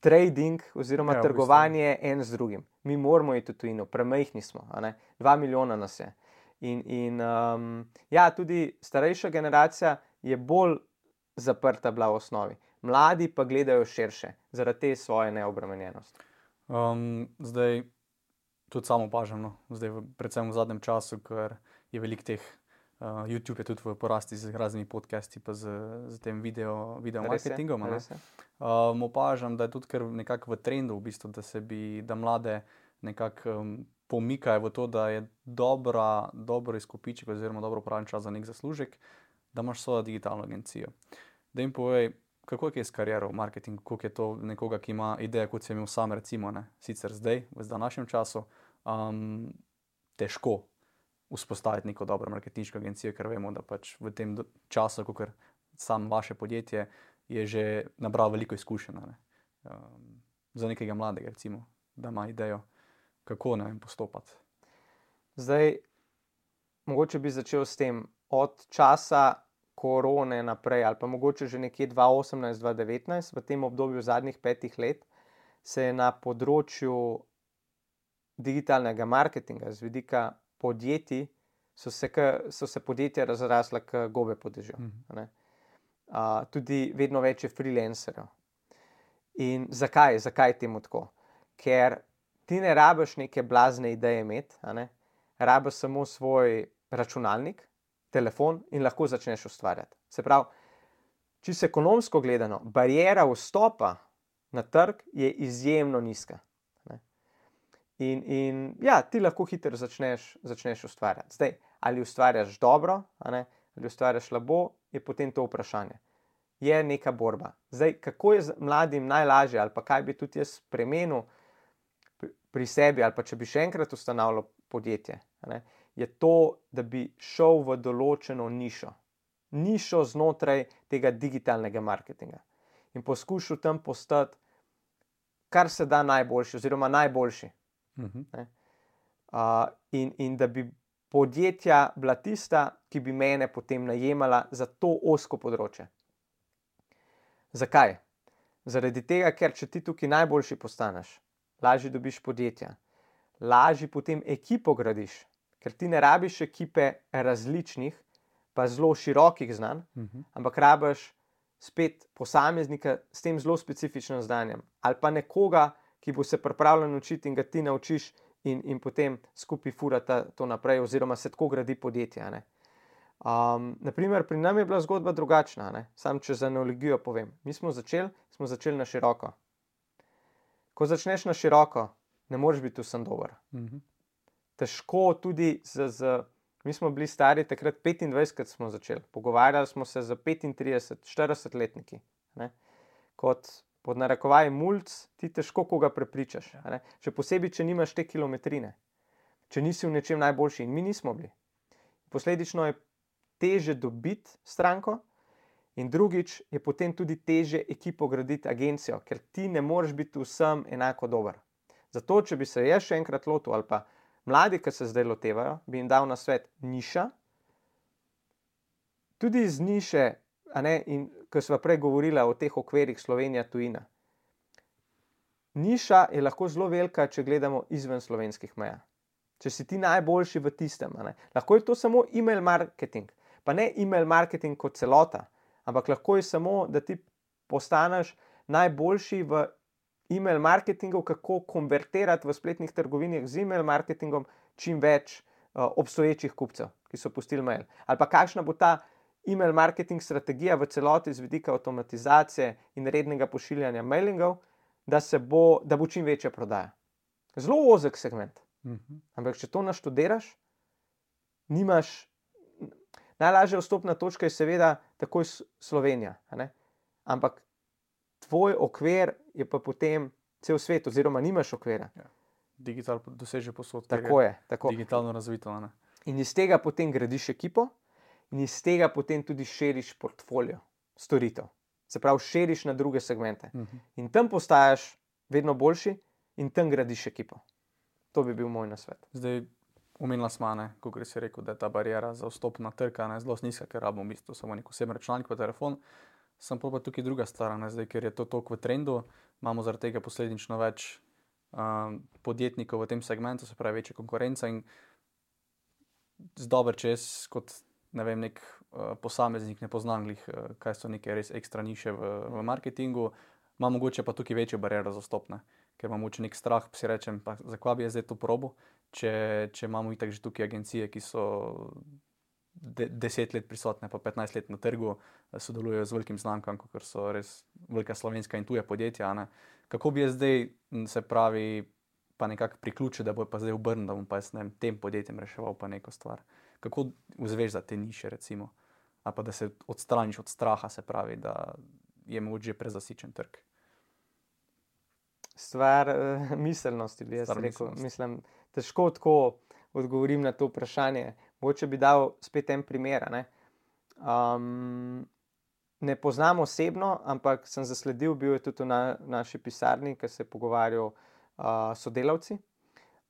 trading oziroma ja, trgovanje en z drugim. Mi moramo iti v tujino, premajhni smo, a ne? Dva milijona nas je. In, in um, ja, tudi starejša generacija je bolj zaprta bila v osnovi. Mladi pa gledajo širše, zaradi te svoje neobremenjenosti. Um, zdaj, tudi samo opažam, no? Zdaj, v, predvsem v zadnjem času, ker je veliko teh, uh, YouTube je tudi v porasti z raznimi podcasti, pa z, z tem video, video marketingom. Um, opažam, da je tudi kar nekako v trendu, v bistvu, da se bi, da mlade nekako um, pomikajo v to, da je dobra, dobro izkupiček oziroma dobro upravljen čas za nek zaslužek, da imaš svojo digitalno agencijo. Da jim povej, kako je s kariero v marketingu, koliko je to nekoga, ki ima idejo, kot sem imel sam, recimo, ne, sicer zdaj, v današnjem času, um, težko vzpostaviti neko dobro marketinško agencijo, ker vemo, da pač v tem času, kot sam vaše podjetje, je že nabral veliko izkušenj, ne, um, za nekega mladega, recimo, da ima idejo, kako, ne vem, postopati. Zdaj, mogoče bi začel s tem, od časa korone naprej, ali pa mogoče že nekje dva tisoč osemnajst dva tisoč devetnajst, v tem obdobju zadnjih petih let, se je na področju digitalnega marketinga, z vidika podjetij, so se, k, so se podjetja razrasla k gobe po dežju. Mm-hmm. Uh, tudi vedno več je freelancerjev. In zakaj? Zakaj temu tako? Ker ti ne rabiš neke blazne ideje imeti, a ne? Rabiš samo svoj računalnik, telefon in lahko začneš ustvarjati. Se pravi, čisto ekonomsko gledano, bariera vstopa na trg je izjemno nizka. Ne? In, in ja, ti lahko hitro začneš, začneš ustvarjati. Zdaj, ali ustvarjaš dobro, a ne? Ali ustvarjaš slabo, je potem to vprašanje. Je neka borba. Zdaj, kako je mladim najlažje, ali pa kaj bi tudi jaz spremenil pri sebi, ali pa če bi še enkrat ustanavljal podjetje, a ne? Je to, da bi šel v določeno nišo. Nišo znotraj tega digitalnega marketinga. In poskušal tam postati kar se da najboljši oziroma najboljši. Uh-huh. Uh, in, in da bi podjetja bila tista, ki bi mene potem najemala za to ozko področje. Zakaj? Zaradi tega, ker če ti tukaj najboljši postaneš, lažje dobiš podjetja, lažje potem ekipo gradiš, ker ti ne rabiš ekipe različnih, pa zelo širokih znanj, uh-huh. ampak rabiš spet posameznika s tem zelo specifičnim znanjem ali pa nekoga, ki bo se pripravljen učiti in ga ti naučiš in, in potem skupaj furata to naprej, oziroma se tako gradi podjetje. Ne? Um, naprimer, pri nam je bila zgodba drugačna, ne? Sam če za analogijo povem. Mi smo začeli, smo začeli na široko. Ko začneš na široko, ne moreš biti vsem dober. Mhm. Težko tudi z, z, mi smo bili stari takrat petindvajset, kad smo začeli. Pogovarjali smo se za petintrideset, štirideset letniki. Ne? Kot pod narekovaj mulc, ti težko koga prepričaš. Ne? Še posebej, če nimaš te kilometrine. Če nisi v nečem najboljši. In mi nismo bili. Posledično je teže dobiti stranko in drugič je potem tudi teže ekipo graditi agencijo, ker ti ne moreš biti vsem enako dober. Zato, če bi se jaz še enkrat lotil ali pa mladi, ki se zdaj lotevajo, bi jim dal na svet niša, tudi iz niše, a ne, in ko sva prej govorila o teh okvirih Slovenija tujina. Niša je lahko zelo velika, če gledamo izven slovenskih meja. Če si ti najboljši v tistem, a ne. Lahko je to samo email marketing, pa ne email marketing kot celota, ampak lahko je samo, da ti postaneš najboljši v email marketingu, kako konvertirati v spletnih trgovinah z email marketingom čim več uh, obstoječih kupcev, ki so pustili mail. Ali pa kakšna bo ta email marketing strategija v celoti z vidika avtomatizacije in rednega pošiljanja mailingov, da, se bo, da bo čim večja prodaja. Zelo ozek segment. Mhm. Ampak če to naštudiraš, nimaš... Najlažja vstopna točka je seveda takoj Slovenija, a ne? Ampak tvoj okvir je pa potem cel svet, oziroma nimaš okvira. Ja. Digital doseže posod. Tako je. Tako. Digitalno razvito. Ne? In iz tega potem gradiš ekipo in iz tega potem tudi širiš portfolio storitev. Se pravi, širiš na druge segmente. Mhm. In tam postaješ vedno boljši in tam gradiš ekipo. To bi bil moj nasvet. Zdaj, omenila smo, kot si rekel, da je ta barijera za vstop na trg zelo nizka, ker rabimo v bistvu samo nek osebni računalnik pa telefon. Sem pa tukaj druga stvar, ne? Zdaj, ker je to toliko v trendu, imamo zaradi tega posledično več um, podjetnikov v tem segmentu, se pravi večja konkurenca in dober, če jaz kot ne vem, nek uh, posameznik ne poznam glih, uh, kaj so neke res ekstra niše v, v marketingu, ima mogoče pa tukaj večjo bariero za vstop, ne? Ker imam mogoče nek strah, pa si rečem, pa zakaj bi jaz zdaj to probo, če, če imamo itak že tukaj agencije, ki so de, deset let prisotne, pa petnajst let na trgu, sodelujejo z velikim znamkam, kot so res velika slovenska in tuja podjetja. Ne? Kako bi jaz zdaj, se pravi, pa nekako priključil, da bo pa zdaj obrnil, da bom pa jaz ne vem, tem podjetjem reševal pa neko stvar. Kako vzveš za te niše, recimo? Ali pa da se odstraniš od straha, se pravi, da je mogoče že prezasičen trg? Stvar uh, miselnosti, bi jaz Stvar rekel. miselnosti. Mislim, težko tako odgovorim na to vprašanje. Mogoče bi dal spet en primer. Ne? Um, ne poznam osebno, ampak sem zasledil, bil je tudi v na, naši pisarni, ki se je pogovarjal uh, sodelavci.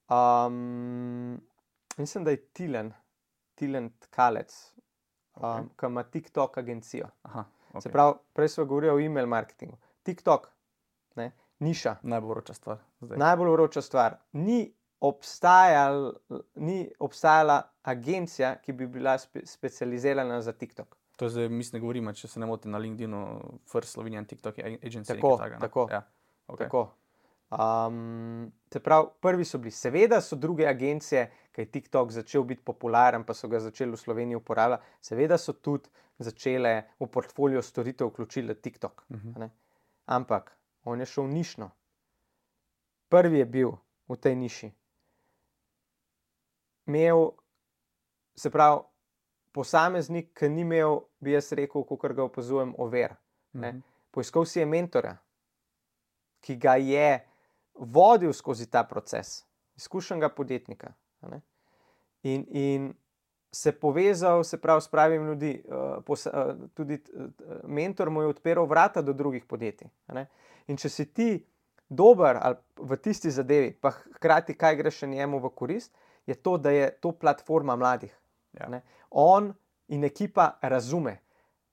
Um, mislim, da je Tilen, Tilen Tkalec, um, Okay. ki ima TikTok agencijo. Aha, Se okay. pravi, prej smo govorili o email marketingu. TikTok, ne, niša. Najbolj vroča stvar zdaj. Najbolj vroča stvar. Ni, obstajal, ni obstajala agencija, ki bi bila spe, specializirana za TikTok. To je zdaj, mislim, ne govorimo, če se ne motim, na LinkedInu, First Slovenian TikTok Agency. Tako, nekaj takega, ne? tako. Ja, okay. Tako. Um, se pravi, prvi so bili. Seveda so druge agencije, ki je TikTok začel biti popularen, pa so ga začeli v Sloveniji uporabljati, seveda so tudi začele v portfolio storitev vključili TikTok. Mhm. Ne? Ampak on je šel nišno. Prvi je bil v tej niši. Imel, se pravi, posameznik, ki ni imel, bi jaz rekel, kakor ga opazujem, over. Ne? Mhm. Poiskal si je mentorja, ki ga je vodil skozi ta proces, izkušenega podjetnika. a Ne? In, in se povezal, se pravi, s pravim ljudi, uh, pos, uh, tudi uh, mentor mu je odpiral vrata do drugih podjetij. a Ne? In če si ti dober ali v tisti zadevi, pa hkrati kaj greš še njemu v korist, je to, da je to platforma mladih. Ja. Ne? On in ekipa razume.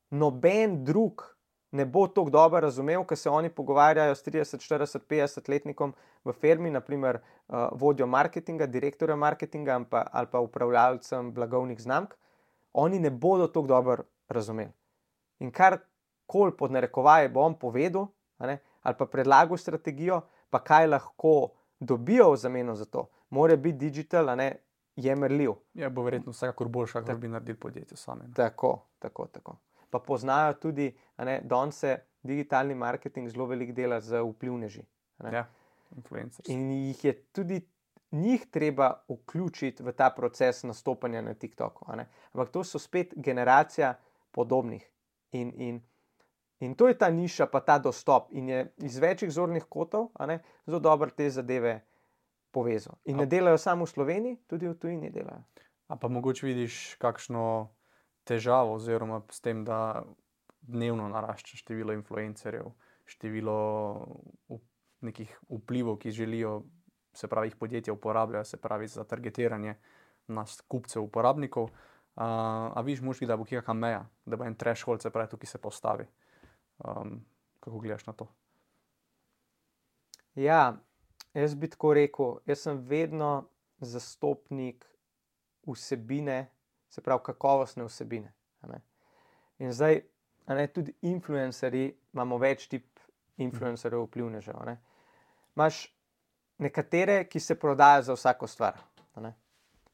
Noben drug ne bo tako dobro razumel, ker se oni pogovarjajo s trideset, štirideset, petdeset letnikom v firmi, naprimer uh, vodjo marketinga, direktorja marketinga ali pa, ali pa upravljalcem blagovnih znamk, oni ne bodo tako dobro razumeli. In kar kol pod narekovaje bo on povedal, a ne, ali pa predlagal strategijo, pa kaj lahko dobijo v zameno za to, mora biti digital, a ne, je merljiv. Ja, bo verjetno vsekakor boljša, kot bi naredili podjetje same. Ne? Tako, tako, tako. Pa poznajo tudi, a ne, danes se digitalni marketing zelo veliko dela z vplivneži. Ja, influencers. In jih je tudi njih treba vključiti v ta proces nastopanja na TikToku. A ne? Ampak to so spet generacija podobnih. In, in, in to je ta niša, pa ta dostop. In je iz večjih zornih kotov, a ne, zelo dobro te zadeve povezal. In ne delajo samo v Sloveniji, tudi v tujini delajo. A pa mogoče vidiš kakšno težavo oziroma s tem, da dnevno narašča število influencerjev, število nekih vplivov, ki želijo, se pravi, jih podjetja uporabljajo, se pravi, za targetiranje nas kupcev, uporabnikov. Uh, a viš možki, da bo kakšna meja, da bo en threshold, se pravi, tukaj se postavi. Um, kako gledaš na to? Ja, jaz bi tako rekel, jaz sem vedno zastopnik vsebine, se pravi kakovostne vsebine. A ne? In zdaj, a ne, tudi influencerji, imamo več tip influencerjev, vplivnežev. A ne? Imaš nekatere, ki se prodajo za vsako stvar, a ne?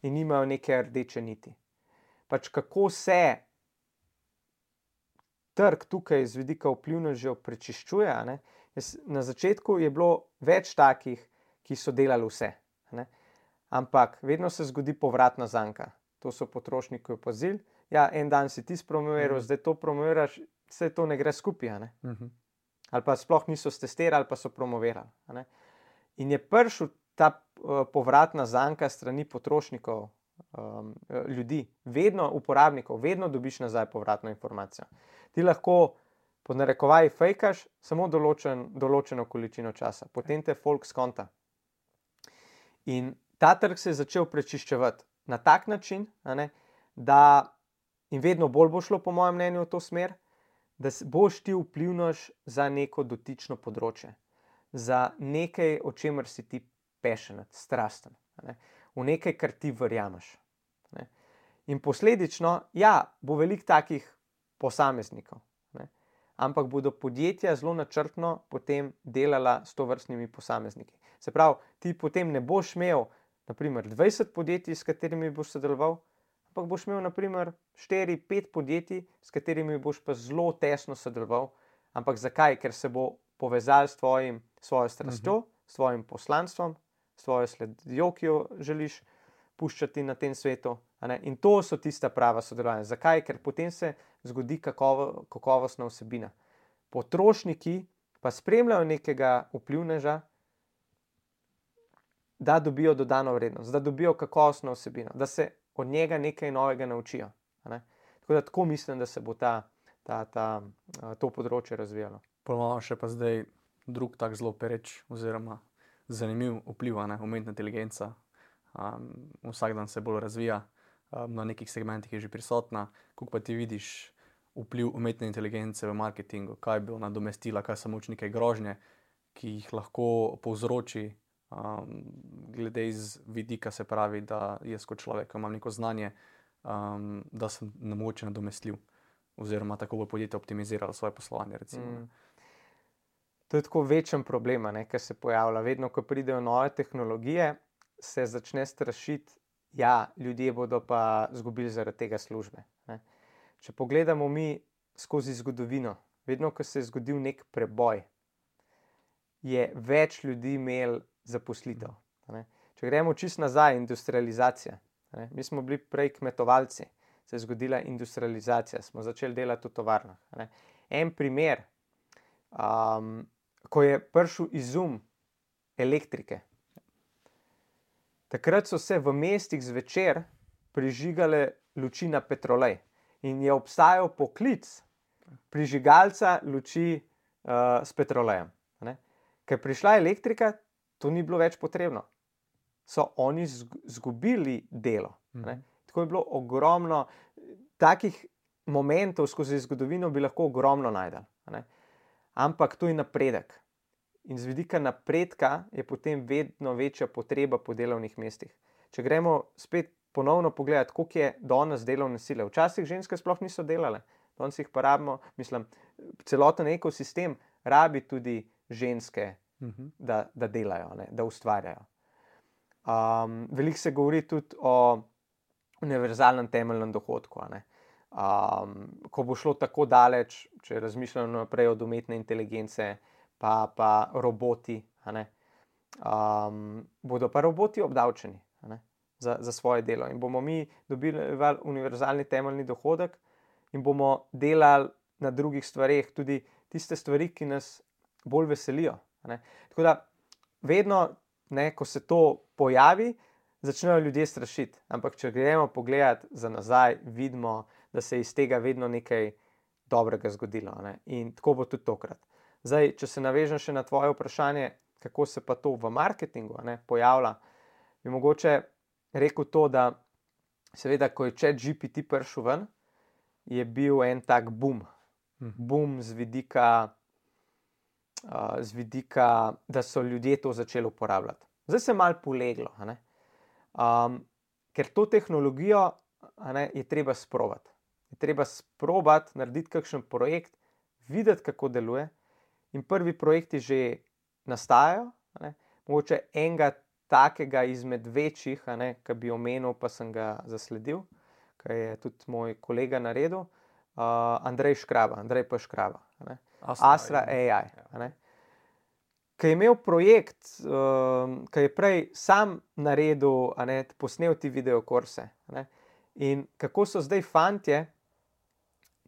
In nimajo neke rdeče niti. Pač kako se trg tukaj z vidika vplivnežev prečiščuje, a ne? Na začetku je bilo več takih, ki so delali vse. A ne? Ampak vedno se zgodi povratna zanka. To so potrošniki opazili. Ja, en dan si ti spromoviral, mm. zdaj to promoviraš, vse to ne gre skupaj. A ne? Mm-hmm. Ali pa sploh niso stestirali, ali pa so promovirali. A ne? In je prišel ta uh, povratna zanka strani potrošnikov, um, ljudi, vedno uporabnikov, vedno dobiš nazaj povratno informacijo. Ti lahko pod narekovaji fejkaš samo določen, določeno količino časa, potem te folk skonta. In ta trg se je začel prečiščevati na tak način, a ne, da in vedno bolj bo šlo, po mojem mnenju, v to smer, da boš ti vplivnež za neko dotično področje, za nekaj, o čemer si ti passionate, strasten, a ne, v nekaj, kar ti verjameš. A ne. In posledično, ja, bo veliko takih posameznikov, ne, ampak bodo podjetja zelo načrtno potem delala s tovrstnimi posamezniki. Se pravi, ti potem ne boš imel naprimer dvajset podjetij, s katerimi boš sodeloval, ampak boš imel naprimer štiri pet podjetij, s katerimi boš pa zelo tesno sodeloval. Ampak zakaj? Ker se bo povezal s tvojim, svojo strastjo, uh-huh. s tvojim poslanstvom, s tvojo sledjo, ki jo želiš puščati na tem svetu. A ne? In to so tista prava sodelovanja. Zakaj? Ker potem se zgodi kakovo, kakovostna vsebina. Potrošniki pa spremljajo nekega vplivneža, da dobijo dodano vrednost, da dobijo kakovostno vsebino, da se od njega nekaj novega naučijo. A ne? Tako da tako mislim, da se bo ta, ta, ta, to področje razvijalo. Ponovno še pa zdaj drug tak zelo pereč oziroma zanimiv vpliv, ne, umetna inteligenca. Um, vsak dan se bolj razvija, um, na nekih segmentih je že prisotna. Kako pa ti vidiš vpliv umetne inteligence v marketingu? Kaj bi ona nadomestila, kaj so moč neke grožnje, ki jih lahko povzroči, um, glede iz vidika, se pravi, da jaz kot človek imam neko znanje, um, da sem nemogoče nadomestljiv oziroma tako bo podjetje optimiziralo svoje poslovanje, recimo. Mm. To je tako večen problem, ker se pojavlja. Vedno, ko pridejo nove tehnologije, se začne strašiti, ja, ljudje bodo pa izgubili zaradi tega službe. Ne. Če pogledamo mi skozi zgodovino, vedno, ko se je zgodil nek preboj, je več ljudi imel zaposlitev. Ne. Če gremo čisto nazaj, industrializacija. Ne. Mi smo bili prej kmetovalci, se je zgodila industrializacija, smo začeli delati v tovarnah. Ne. En primer, um, ko je prišel izum elektrike. Takrat so se v mestih zvečer prižigale luči na petrolej in je obstajal poklic prižigalca luči uh, s petrolejem. Ne? Ker prišla elektrika, to ni bilo več potrebno. So oni zgubili delo. Ne? Tako je bilo ogromno takih momentov skozi zgodovino, bi lahko ogromno najdel. Ne? Ampak to je napredek. In z vidika napredka je potem vedno večja potreba po delovnih mestih. Če gremo spet ponovno pogledati, koliko je danes delovne sile. Včasih ženske sploh niso delale. Danes jih pa rabimo, mislim, celoten ekosistem rabi tudi ženske Mhm. da, da delajo, ne, da ustvarjajo. Um, veliko se govori tudi o univerzalnem temeljnem dohodku. a ne. Um, ko bo šlo tako daleč, če razmišljamo naprej od umetne inteligence, pa, pa roboti, a ne, um, bodo pa roboti obdavčeni, a ne, za, za svoje delo. In bomo mi dobili univerzalni temeljni dohodek in bomo delali na drugih stvareh, tudi tiste stvari, ki nas bolj veselijo. a ne. Tako da vedno, ne, ko se to pojavi, začnejo ljudje strašiti. Ampak če gremo pogledati za nazaj, vidimo, da se je iz tega vedno nekaj dobrega zgodilo. Ne? In tako bo tudi tokrat. Zdaj, če se navežem še na tvoje vprašanje, kako se pa to v marketingu, ne, pojavlja, bi mogoče rekel to, da seveda, ko je ChatGPT prišel ven, je bil en tak boom. Boom z vidika, uh, z vidika, da so ljudje to začeli uporabljati. Zdaj se je malo poleglo, a ne. Um, ker to tehnologijo, a ne, je treba sprobati. Je treba sprobati, narediti kakšen projekt, videti, kako deluje, in prvi projekti že nastajajo. a ne. Mogoče enega takega izmed večjih, a ne, ki bi omenil, pa sem ga zasledil, ki je tudi moj kolega naredil, uh, Andrej Škraba, Andrej pa Škraba, a ne. Astra, Astra A I, a ne. Ki je imel projekt, um, ki je prej sam naredil, a ne, posnel ti videokurse. a ne. In kako so zdaj fantje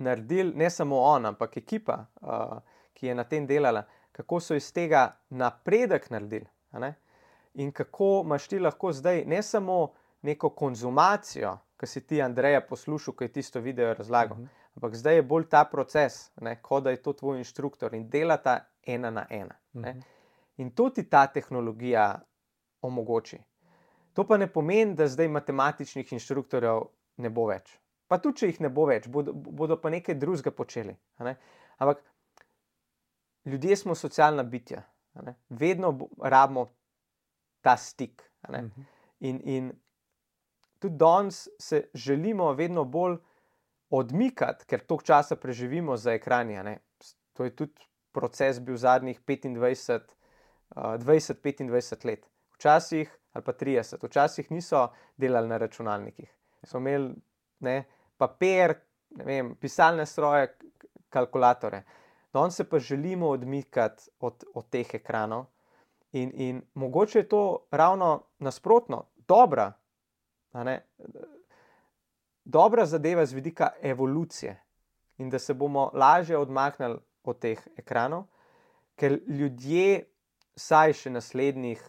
naredili, ne samo on, ampak ekipa, uh, ki je na tem delala, kako so iz tega napredek naredili. a ne. In kako imaš ti lahko zdaj ne samo neko konzumacijo, ki si ti Andreja poslušal, ki je tisto video razlagal, uh-huh. ampak zdaj je bolj ta proces, ne, kot da je to tvoj inštruktor in delata ena na ena. Ne. Uh-huh. In to ti ta tehnologija omogoči. To pa ne pomeni, da zdaj matematičnih inštruktorjev ne bo več. Pa tudi, če jih ne bo več, bodo, bodo pa nekaj drugega počeli. a ne. Ampak ljudje smo socialna bitja. a ne. Vedno rabimo ta stik. a ne. Uh-huh. In, in tudi danes se želimo vedno bolj odmikati, ker toliko časa preživimo za ekrani. a ne. To je tudi proces bil zadnjih petindvajset, dvajset petindvajset let. Včasih, ali pa trideset, včasih niso delali na računalnikih. So imeli, ne, papir, ne vem, pisalne stroje, kalkulatore. Danes se pa želimo odmikati od, od teh ekranov in, in mogoče je to ravno nasprotno, dobra, a ne, dobra zadeva z vidika evolucije in da se bomo lažje odmaknili od teh ekranov, ker ljudje saj še naslednjih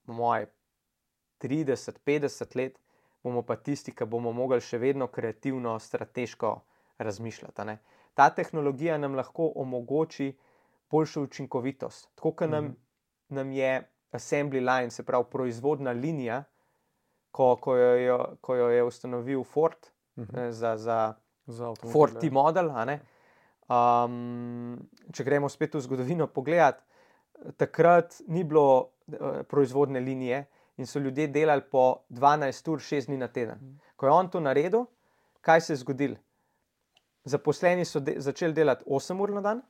moj trideset, petdeset let bomo pa tisti, ki bomo mogli še vedno kreativno, strateško razmišljati. a ne. Ta tehnologija nam lahko omogoči boljšo učinkovitost. Tako, kot nam, mm-hmm. nam je assembly line, se pravi proizvodna linija, ko, ko, jo, jo, ko jo je ustanovil Ford, mm-hmm. ne, za, za, za Ford T-model. Um, če gremo spet v zgodovino pogledati, takrat ni bilo uh, proizvodne linije in so ljudje delali po dvanajst ur, šest dni na teden. Ko je on to naredil, kaj se je zgodilo? Zaposleni so de- začeli delati osem ur na dan,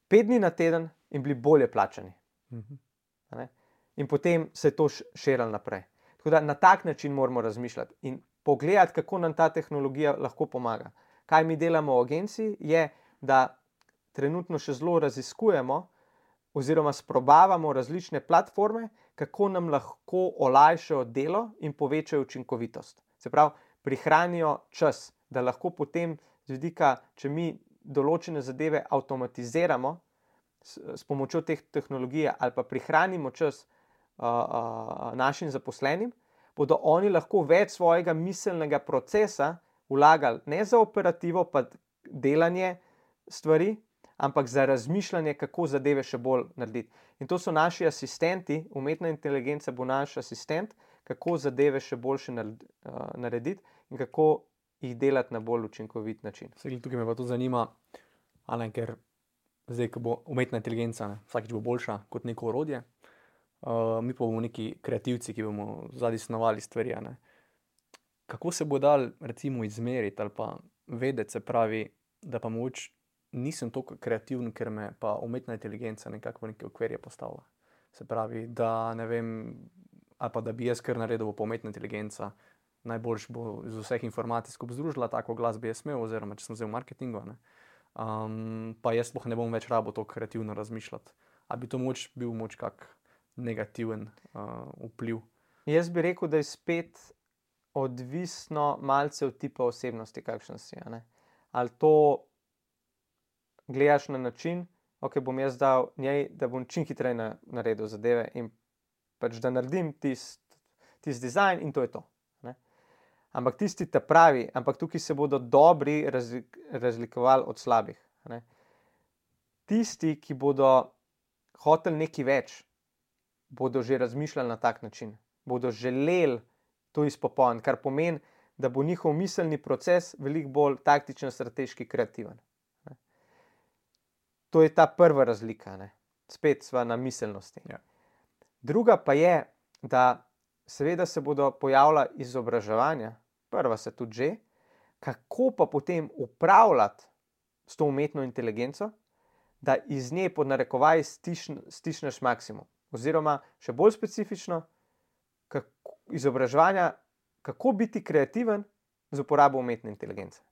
pet dni na teden in bili bolje plačani. Uh-huh. In potem se je to širilo naprej. Tako da na tak način moramo razmišljati in pogledati, kako nam ta tehnologija lahko pomaga. Kaj mi delamo v agenciji, je, da trenutno še zelo raziskujemo oziroma sprobavamo različne platforme, kako nam lahko olajšajo delo in povečajo učinkovitost. Se pravi, prihranijo čas, da lahko potem z vidika, če mi določene zadeve avtomatiziramo s, s pomočjo teh tehnologij ali pa prihranimo čas uh, uh, našim zaposlenim, bodo oni lahko več svojega miselnega procesa vlagali ne za operativo pa delanje stvari, ampak za razmišljanje, kako zadeve še bolj narediti. In to so naši asistenti, umetna inteligenca bo naš asistent, kako zadeve še boljše narediti in kako jih delati na bolj učinkovit način. Segli, tukaj me pa to zanima, Alen, ker zdaj, ko bo umetna inteligenca, ne, vsakič bo boljša kot neko orodje, uh, mi pa bomo neki kreativci, ki bomo zadaj snovali stvari. Ne. Kako se bo dal recimo izmeriti ali pa vedeti, se pravi, da pa moč nisem toliko kreativen, ker me pa umetna inteligenca nekako v neke okvirje postavlja. Se pravi, da ne vem, ali pa da bi jaz kar naredil po umetna inteligenca, najboljš bo iz vseh informacij skupaj združila, tako glas bi jaz imel, oziroma če sem vzel marketingu, ne. Um, pa jaz sploh ne bom več rabo to kreativno razmišljati. A bi to moč bil moč kak negativen uh, vpliv? Jaz bi rekel, da je spet odvisno malce od tipa osebnosti, kakšen si. A ne? Ali to gledaš na način, ok, bom jaz dal njej, da bom čim hitreje na, naredil zadeve in pač da naredim tisti tist dizajn in to je to. Ne? Ampak tisti ta pravi, ampak tukaj se bodo dobri razlik, razlikovali od slabih. Ne? Tisti, ki bodo hoteli nekaj več, bodo že razmišljali na tak način. Bodo želeli to izpopolniti, kar pomeni, da bo njihov miselni proces veliko bolj taktičen, strateški, kreativen. Ne? To je ta prva razlika. Ne? Spet sva na miselnosti. Ja. Druga pa je, da seveda se bodo pojavila izobraževanja, prva se tudi že, kako pa potem upravljati s to umetno inteligenco, da iz nje pod narekovaj stišn, stišneš maksimum. Oziroma, še bolj specifično, kako, izobraževanja, kako biti kreativen z uporabo umetne inteligence.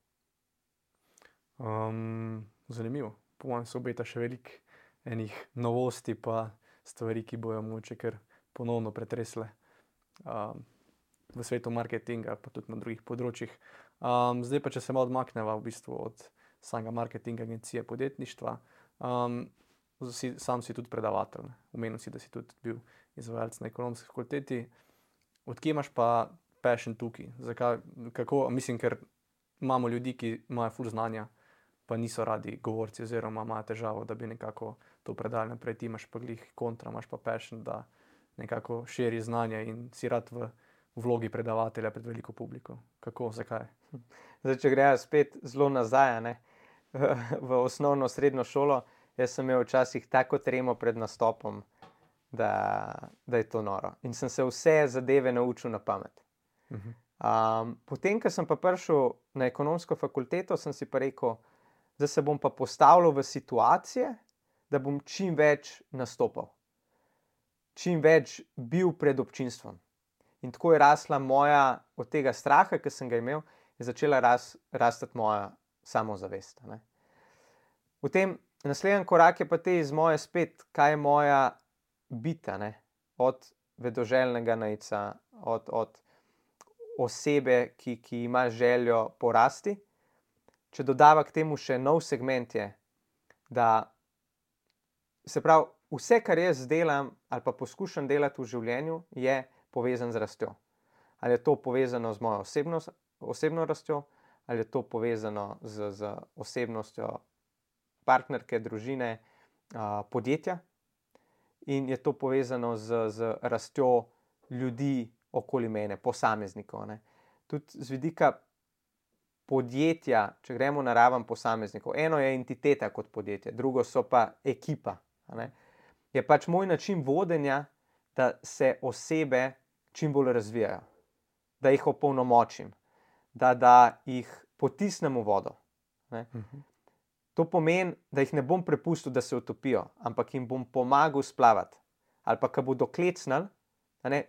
Um, zanimivo. Po mojem se obeta še veliko enih novosti pa stvari, ki bojo mogoče kar ponovno pretresle um, v svetu marketinga, pa tudi na drugih področjih. Um, zdaj pa, če se malo odmakneva v bistvu od samega marketinga, agencije, podjetništva, um, si, sam si tudi predavatelj. Omenil si, da si tudi bil izvajalec na ekonomski fakulteti. Odkje imaš pa passion tukaj? Zakaj, kako, mislim, ker imamo ljudi, ki imajo ful znanja, pa niso radi govorci oziroma imajo težavo, da bi nekako to predali naprej. Ti imaš pa glih kontra, imaš pa passion, da nekako širi znanje in si rad v vlogi predavatelja pred veliko publiko. Kako, zakaj? Zdaj, če grejo spet zelo nazaj, ne? v osnovno, srednjo šolo, jaz sem imel včasih tako tremo pred nastopom, da, da je to noro. In sem se vse zadeve naučil na pamet. Uh-huh. Um, potem, ko sem pa prišel na ekonomsko fakulteto, sem si pa rekel, da se bom pa postavljal v situacije, da bom čim več nastopal. Čim več bil pred občinstvom. In tako je rasla moja, od tega straha, ki sem ga imel, je začela ras, rastati moja samozavest. Ne? Potem naslednji korak je pa te iz moje spet, kaj je moja bita, ne? Od vedoželjnega najca, od, od osebe, ki, ki ima željo porasti. Če dodava k temu še nov segment je, da se pravi, vse, kar jaz delam ali pa poskušam delati v življenju, je povezan z rastjo. Ali je to povezano z mojo osebno, osebno rastjo, ali je to povezano z, z osebnostjo partnerke, družine, a, podjetja. In je to povezano z, z rastjo ljudi okoli mene, posameznikov. Ne. Tudi z vidika podjetja, če gremo na raven posameznikov, eno je entiteta kot podjetje, drugo so pa ekipa. Ne. Je pač moj način vodenja, da se osebe čim bolj razvijajo, da jih opolnomočim, da, da jih potisnem v vodo. Ne. Uh-huh. To pomeni, da jih ne bom prepustil, da se utopijo, ampak jim bom pomagal splavati. Ali pa, ko bodo klecnili,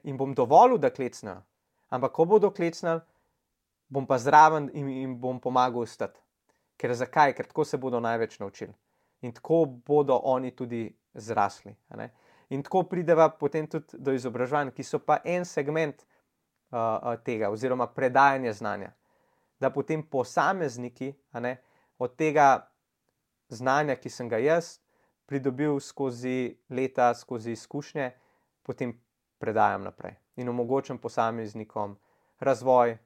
jim bom dovolil, da klecnejo, ampak ko bodo klecnili, bom pa zraven in jim bom pomagal ostati. Ker zakaj? Ker tako se bodo največ naučili. In tako bodo oni tudi zrasli. Ne? In tako prideva potem tudi do izobraževanj, ki so pa en segment uh, tega, oziroma predajanje znanja. Da potem posamezniki, a ne, od tega znanja, ki sem ga jaz pridobil skozi leta, skozi izkušnje, potem predajam naprej. In omogočam posameznikom razvoj,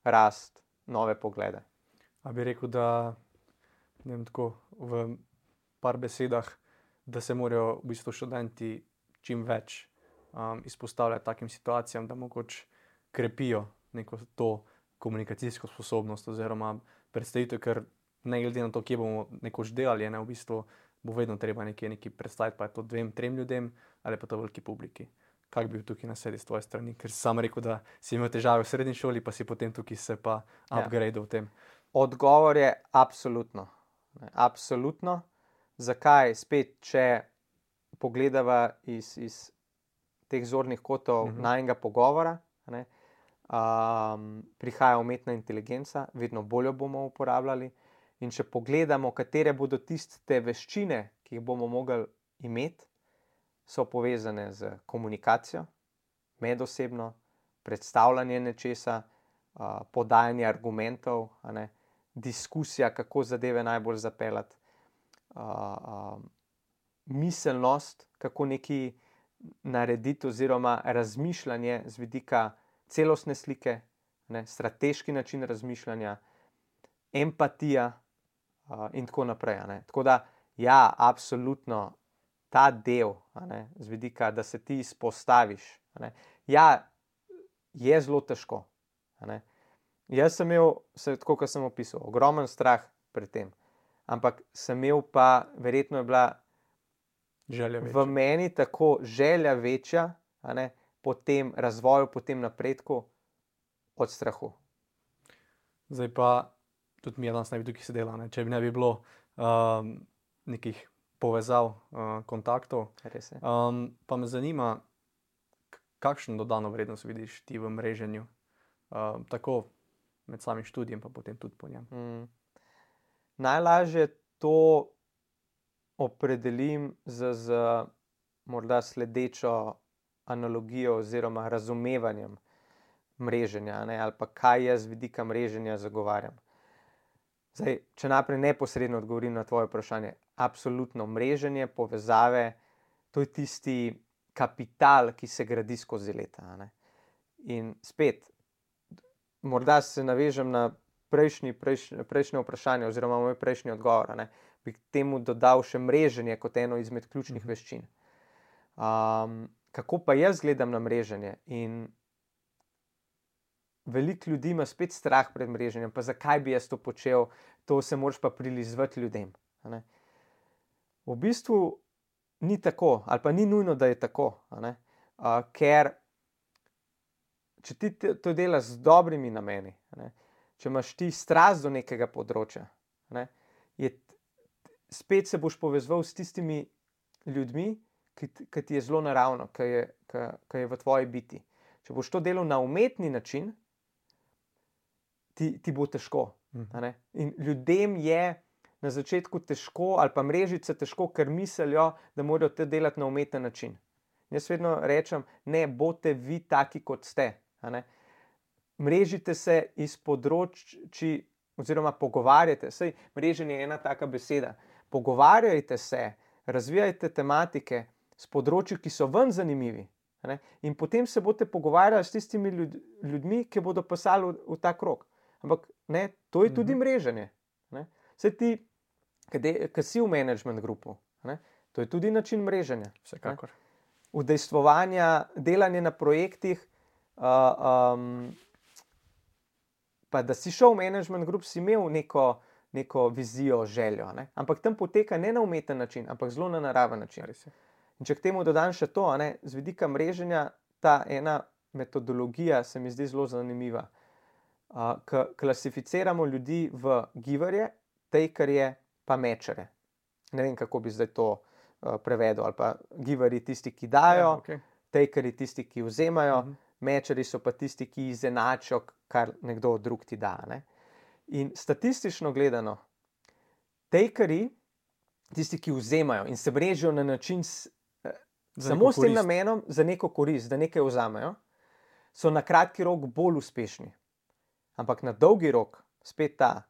rast, nove poglede. A bi rekel, da ne vem, tako v par besedah, da se morajo v bistvu študenti čim več um, izpostavljati takim situacijam, da mogoče krepijo neko to komunikacijsko sposobnost oziroma predstavitev, ker ne glede na to, kje bomo nekoč delali, ne, v bistvu bo vedno treba nekje nekaj predstaviti, pa je to dvem, trem ljudem ali pa to veliki publiki. Kak bi bil tukaj na sedi z tvoje strani? Ker si sam rekel, da si imel težave v srednji šoli, pa si potem tukaj se pa upgrade v tem. Odgovor je absolutno. Ne? Absolutno. Zakaj? Spet, če pogledava iz, iz teh zornih kotov uh-huh. najnega pogovora, ne? Um, prihaja umetna inteligenca, vedno bolj jo bomo uporabljali. In če pogledamo, katere bodo tiste veščine, ki jih bomo mogli imeti, so povezane z komunikacijo, medosebno, predstavljanje nečesa, uh, podajanje argumentov, a ne, diskusija, kako zadeve najbolj zapeljati, uh, uh, miselnost, kako nekaj narediti, oziroma razmišljanje z vidika celostne slike, ne, strateški način razmišljanja, empatija uh, in tako naprej. A ne. Tako da, ja, absolutno ta del, a ne, z vidika, da se ti izpostaviš, a ne, ja, je zelo težko. A ne. Jaz sem imel, tako kot sem opisal, ogromen strah pred tem, ampak sem imel pa, verjetno je bila želja v meni tako želja večja, a ne, po tem razvoju, po tem napredku, od strahu. Zdaj pa, tudi mi je danes ne bi tukaj sedela, ne? Če bi ne bi bilo um, nekih povezav, uh, kontaktov. Res je. Um, pa me zanima, kakšno dodano vrednost vidiš ti v mreženju, uh, tako med samim študijem, pa potem tudi po njem. Mm. Najlažje to opredelim z, z morda sledečo analogijo oziroma razumevanjem mreženja, ne, ali pa kaj jaz z vidika mreženja zagovarjam. Zdaj, če naprej neposredno odgovorim na tvoje vprašanje, absolutno mreženje, povezave, to je tisti kapital, ki se gradi skozi leta. Ne. In spet, morda se navežem na prejšnji, prejšnje, prejšnje vprašanje oziroma moj prejšnji odgovor, ne, bi k temu dodal še mreženje kot eno izmed ključnih Mhm. veščin. Um, kako pa jaz gledam na mreženje? In veliko ljudi ima spet strah pred mreženjem, pa zakaj bi jaz to počel, to se moraš pa prilizvati ljudem. A ne. V bistvu ni tako, ali pa ni nujno, da je tako, a ne. Uh, ker če ti to delaš z dobrimi nameni, a ne, če imaš ti strast do nekega področja, a ne, je, spet se boš povezoval s tistimi ljudmi, ki, ki ti je zelo naravno, ki je, ki, ki je v tvoji biti. Če boš to delal na umetni način, ti, ti bo težko. A ne? In ljudem je na začetku težko, ali pa mrežice težko, ker mislijo, da morajo te delati na umeten način. Jaz vedno rečem, ne, boste vi taki, kot ste. A ne? Mrežite se iz področji, oziroma pogovarjate. Saj mreženje je ena taka beseda. Pogovarjajte se, razvijajte tematike s področji, ki so ven zanimivi. A ne? In potem se boste pogovarjali s tistimi ljud, ljudmi, ki bodo pasali v, v ta krog. Ampak ne, to je tudi mm-hmm. mreženje. Ne? Saj ti, ki si v management grupu, ne? To je tudi način mreženja. Vsekakor. Udejstvovanja, delanje na projektih, uh, um, pa da si šel v management grup, si imel neko, neko vizijo, željo. Ne? Ampak tam poteka ne na umeten način, ampak zelo na naraven način. In če k temu dodam še to, a ne, z vidika mreženja, ta ena metodologija se mi zdi zelo zanimiva. Uh, k klasificiramo ljudi v giverje, takerje, pa mečere. Ne vem, kako bi zdaj to uh, prevedel. Ali pa giverji tisti, ki dajo, Ja, okay. takerji tisti, ki vzemajo, Mhm. mečeri so pa tisti, ki izenačijo, kar nekdo drug ti da. Ne? In statistično gledano, takerji, tisti, ki vzemajo in se mrežijo na način s, eh, samo s tem namenom, za neko korist, da nekaj vzamejo, so na kratki rok bolj uspešni. Ampak na dolgi rok, spet ta,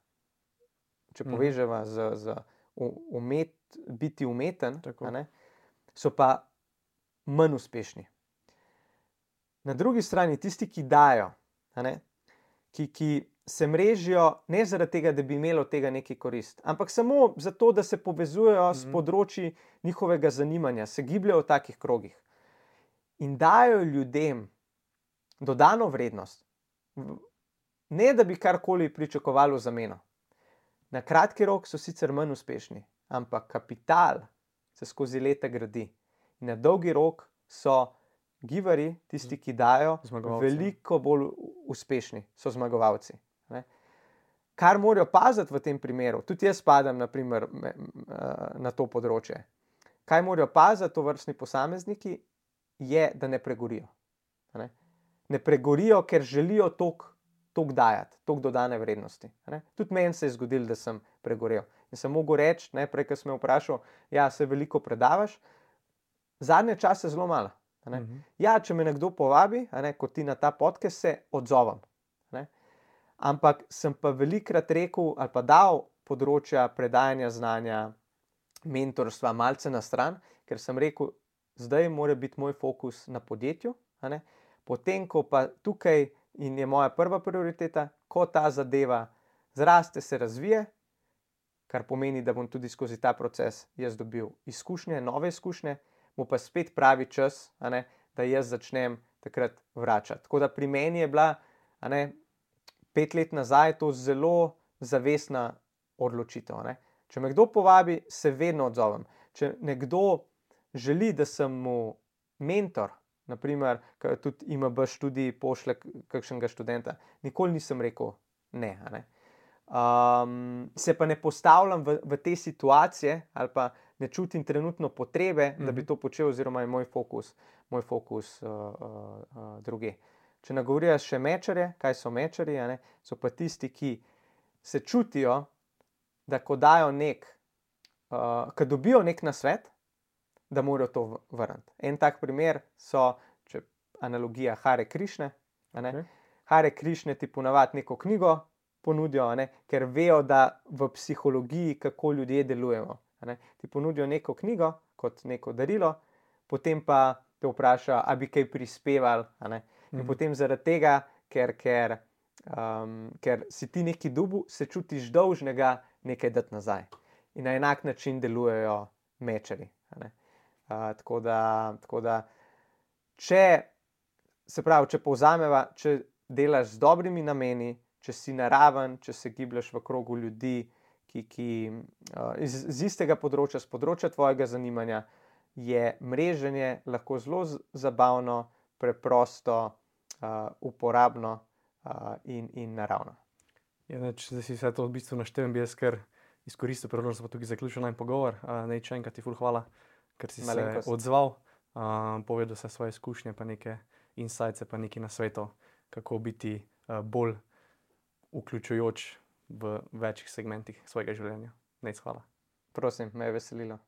če Mhm. poveževa z, z umet, biti umeten, Tako. a ne, so pa manj uspešni. Na drugi strani tisti, ki dajo, a ne, ki, ki se mrežijo ne zaradi tega, da bi imeli od tega neki korist, ampak samo zato, da se povezujejo mm-hmm. s področji njihovega zanimanja, se gibljajo v takih krogih in dajo ljudem dodano vrednost, ne da bi karkoli pričakovali v zameno. Na kratki rok so sicer manj uspešni, ampak kapital se skozi leta gradi. In na dolgi rok so giverji, tisti, ki dajo, Zmagovalci. veliko bolj uspešni, so zmagovalci. Ne? kar morajo paziti v tem primeru, tudi jaz spadam naprimer, me, na to področje, kaj morajo paziti to vrstni posamezniki, je, da ne pregorijo. Ne, ne pregorijo, ker želijo toliko tok dajati, toliko dodane vrednosti. Ne. Tudi meni se je zgodilo, da sem pregorel. In sem mogel reči, ne, prej, ko sem me vprašal, ja, se veliko predavaš, zadnje čase zelo malo. Ne. Uh-huh. Ja, če me nekdo povabi, ne, kot ti na ta podcast, se odzovem. Ne. Ampak sem pa velikrat rekel ali pa dal področja predajanja znanja, mentorstva malce na stran, ker sem rekel, zdaj mora biti moj fokus na podjetju, ne. Potem, ko pa tukaj in je moja prva prioriteta, ko ta zadeva zraste, se razvije, kar pomeni, da bom tudi skozi ta proces jaz dobil izkušnje, nove izkušnje, bo pa spet pravi čas, a ne, da jaz začnem takrat vračati. Tako da pri meni je bila, a ne, pet let nazaj to zelo zavestna odločitev. Ne. Če me kdo povabi, se vedno odzovem. Če nekdo želi, da sem mu mentor, naprimer, tudi I M B študij pošle kakšnega študenta, nikoli nisem rekel ne. A ne. Um, se pa ne postavljam v, v te situacije ali pa ne čutim trenutno potrebe, mm-hmm. da bi to počel, oziroma je moj fokus, moj fokus uh, uh, uh, druge. Če nagovorijo še mečarje, kaj so mečarji, a ne, so pa tisti, ki se čutijo, da ko dajo nek, uh, ko dobijo nek nasvet, da morajo to vrniti. En tak primer so, če analogija Hare Krišne, a ne, okay. Hare Krišne ti ponavadi neko knjigo ponudijo, a ne, ker vejo, da v psihologiji, kako ljudje delujemo. A ne. Ti ponudijo neko knjigo kot neko darilo, potem pa te vprašajo, a bi kaj prispeval, a ne. In mm. potem zaradi tega, ker, ker, um, ker si ti neki dobil, se čutiš dolžnega nekaj dati nazaj. In na enak način delujejo mečarji. A ne. Uh, tako da, tako da, če, se pravi, če povzameva, če delaš z dobrimi nameni, če si naraven, če se gibljaš v krogu ljudi, ki, ki uh, iz, iz istega področja, z področja tvojega zanimanja, je mreženje lahko zelo z, zabavno, preprosto, uh, uporabno uh, in, in naravno. Ja, ne, če si vse to v bistvu naštevim, bi jaz kar izkoristil priložnost, pa tukaj zaključil naj pogovor. Uh, ne, če enkrat ti ful hvala, ker si Malenkost. se odzval, uh, povedal se svoje izkušnje, pa neke insights, pa nekaj nasvetov, kako biti uh, bolj vključujoč v večjih segmentih svojega življenja. Nejc, hvala. Prosim, me je veselilo.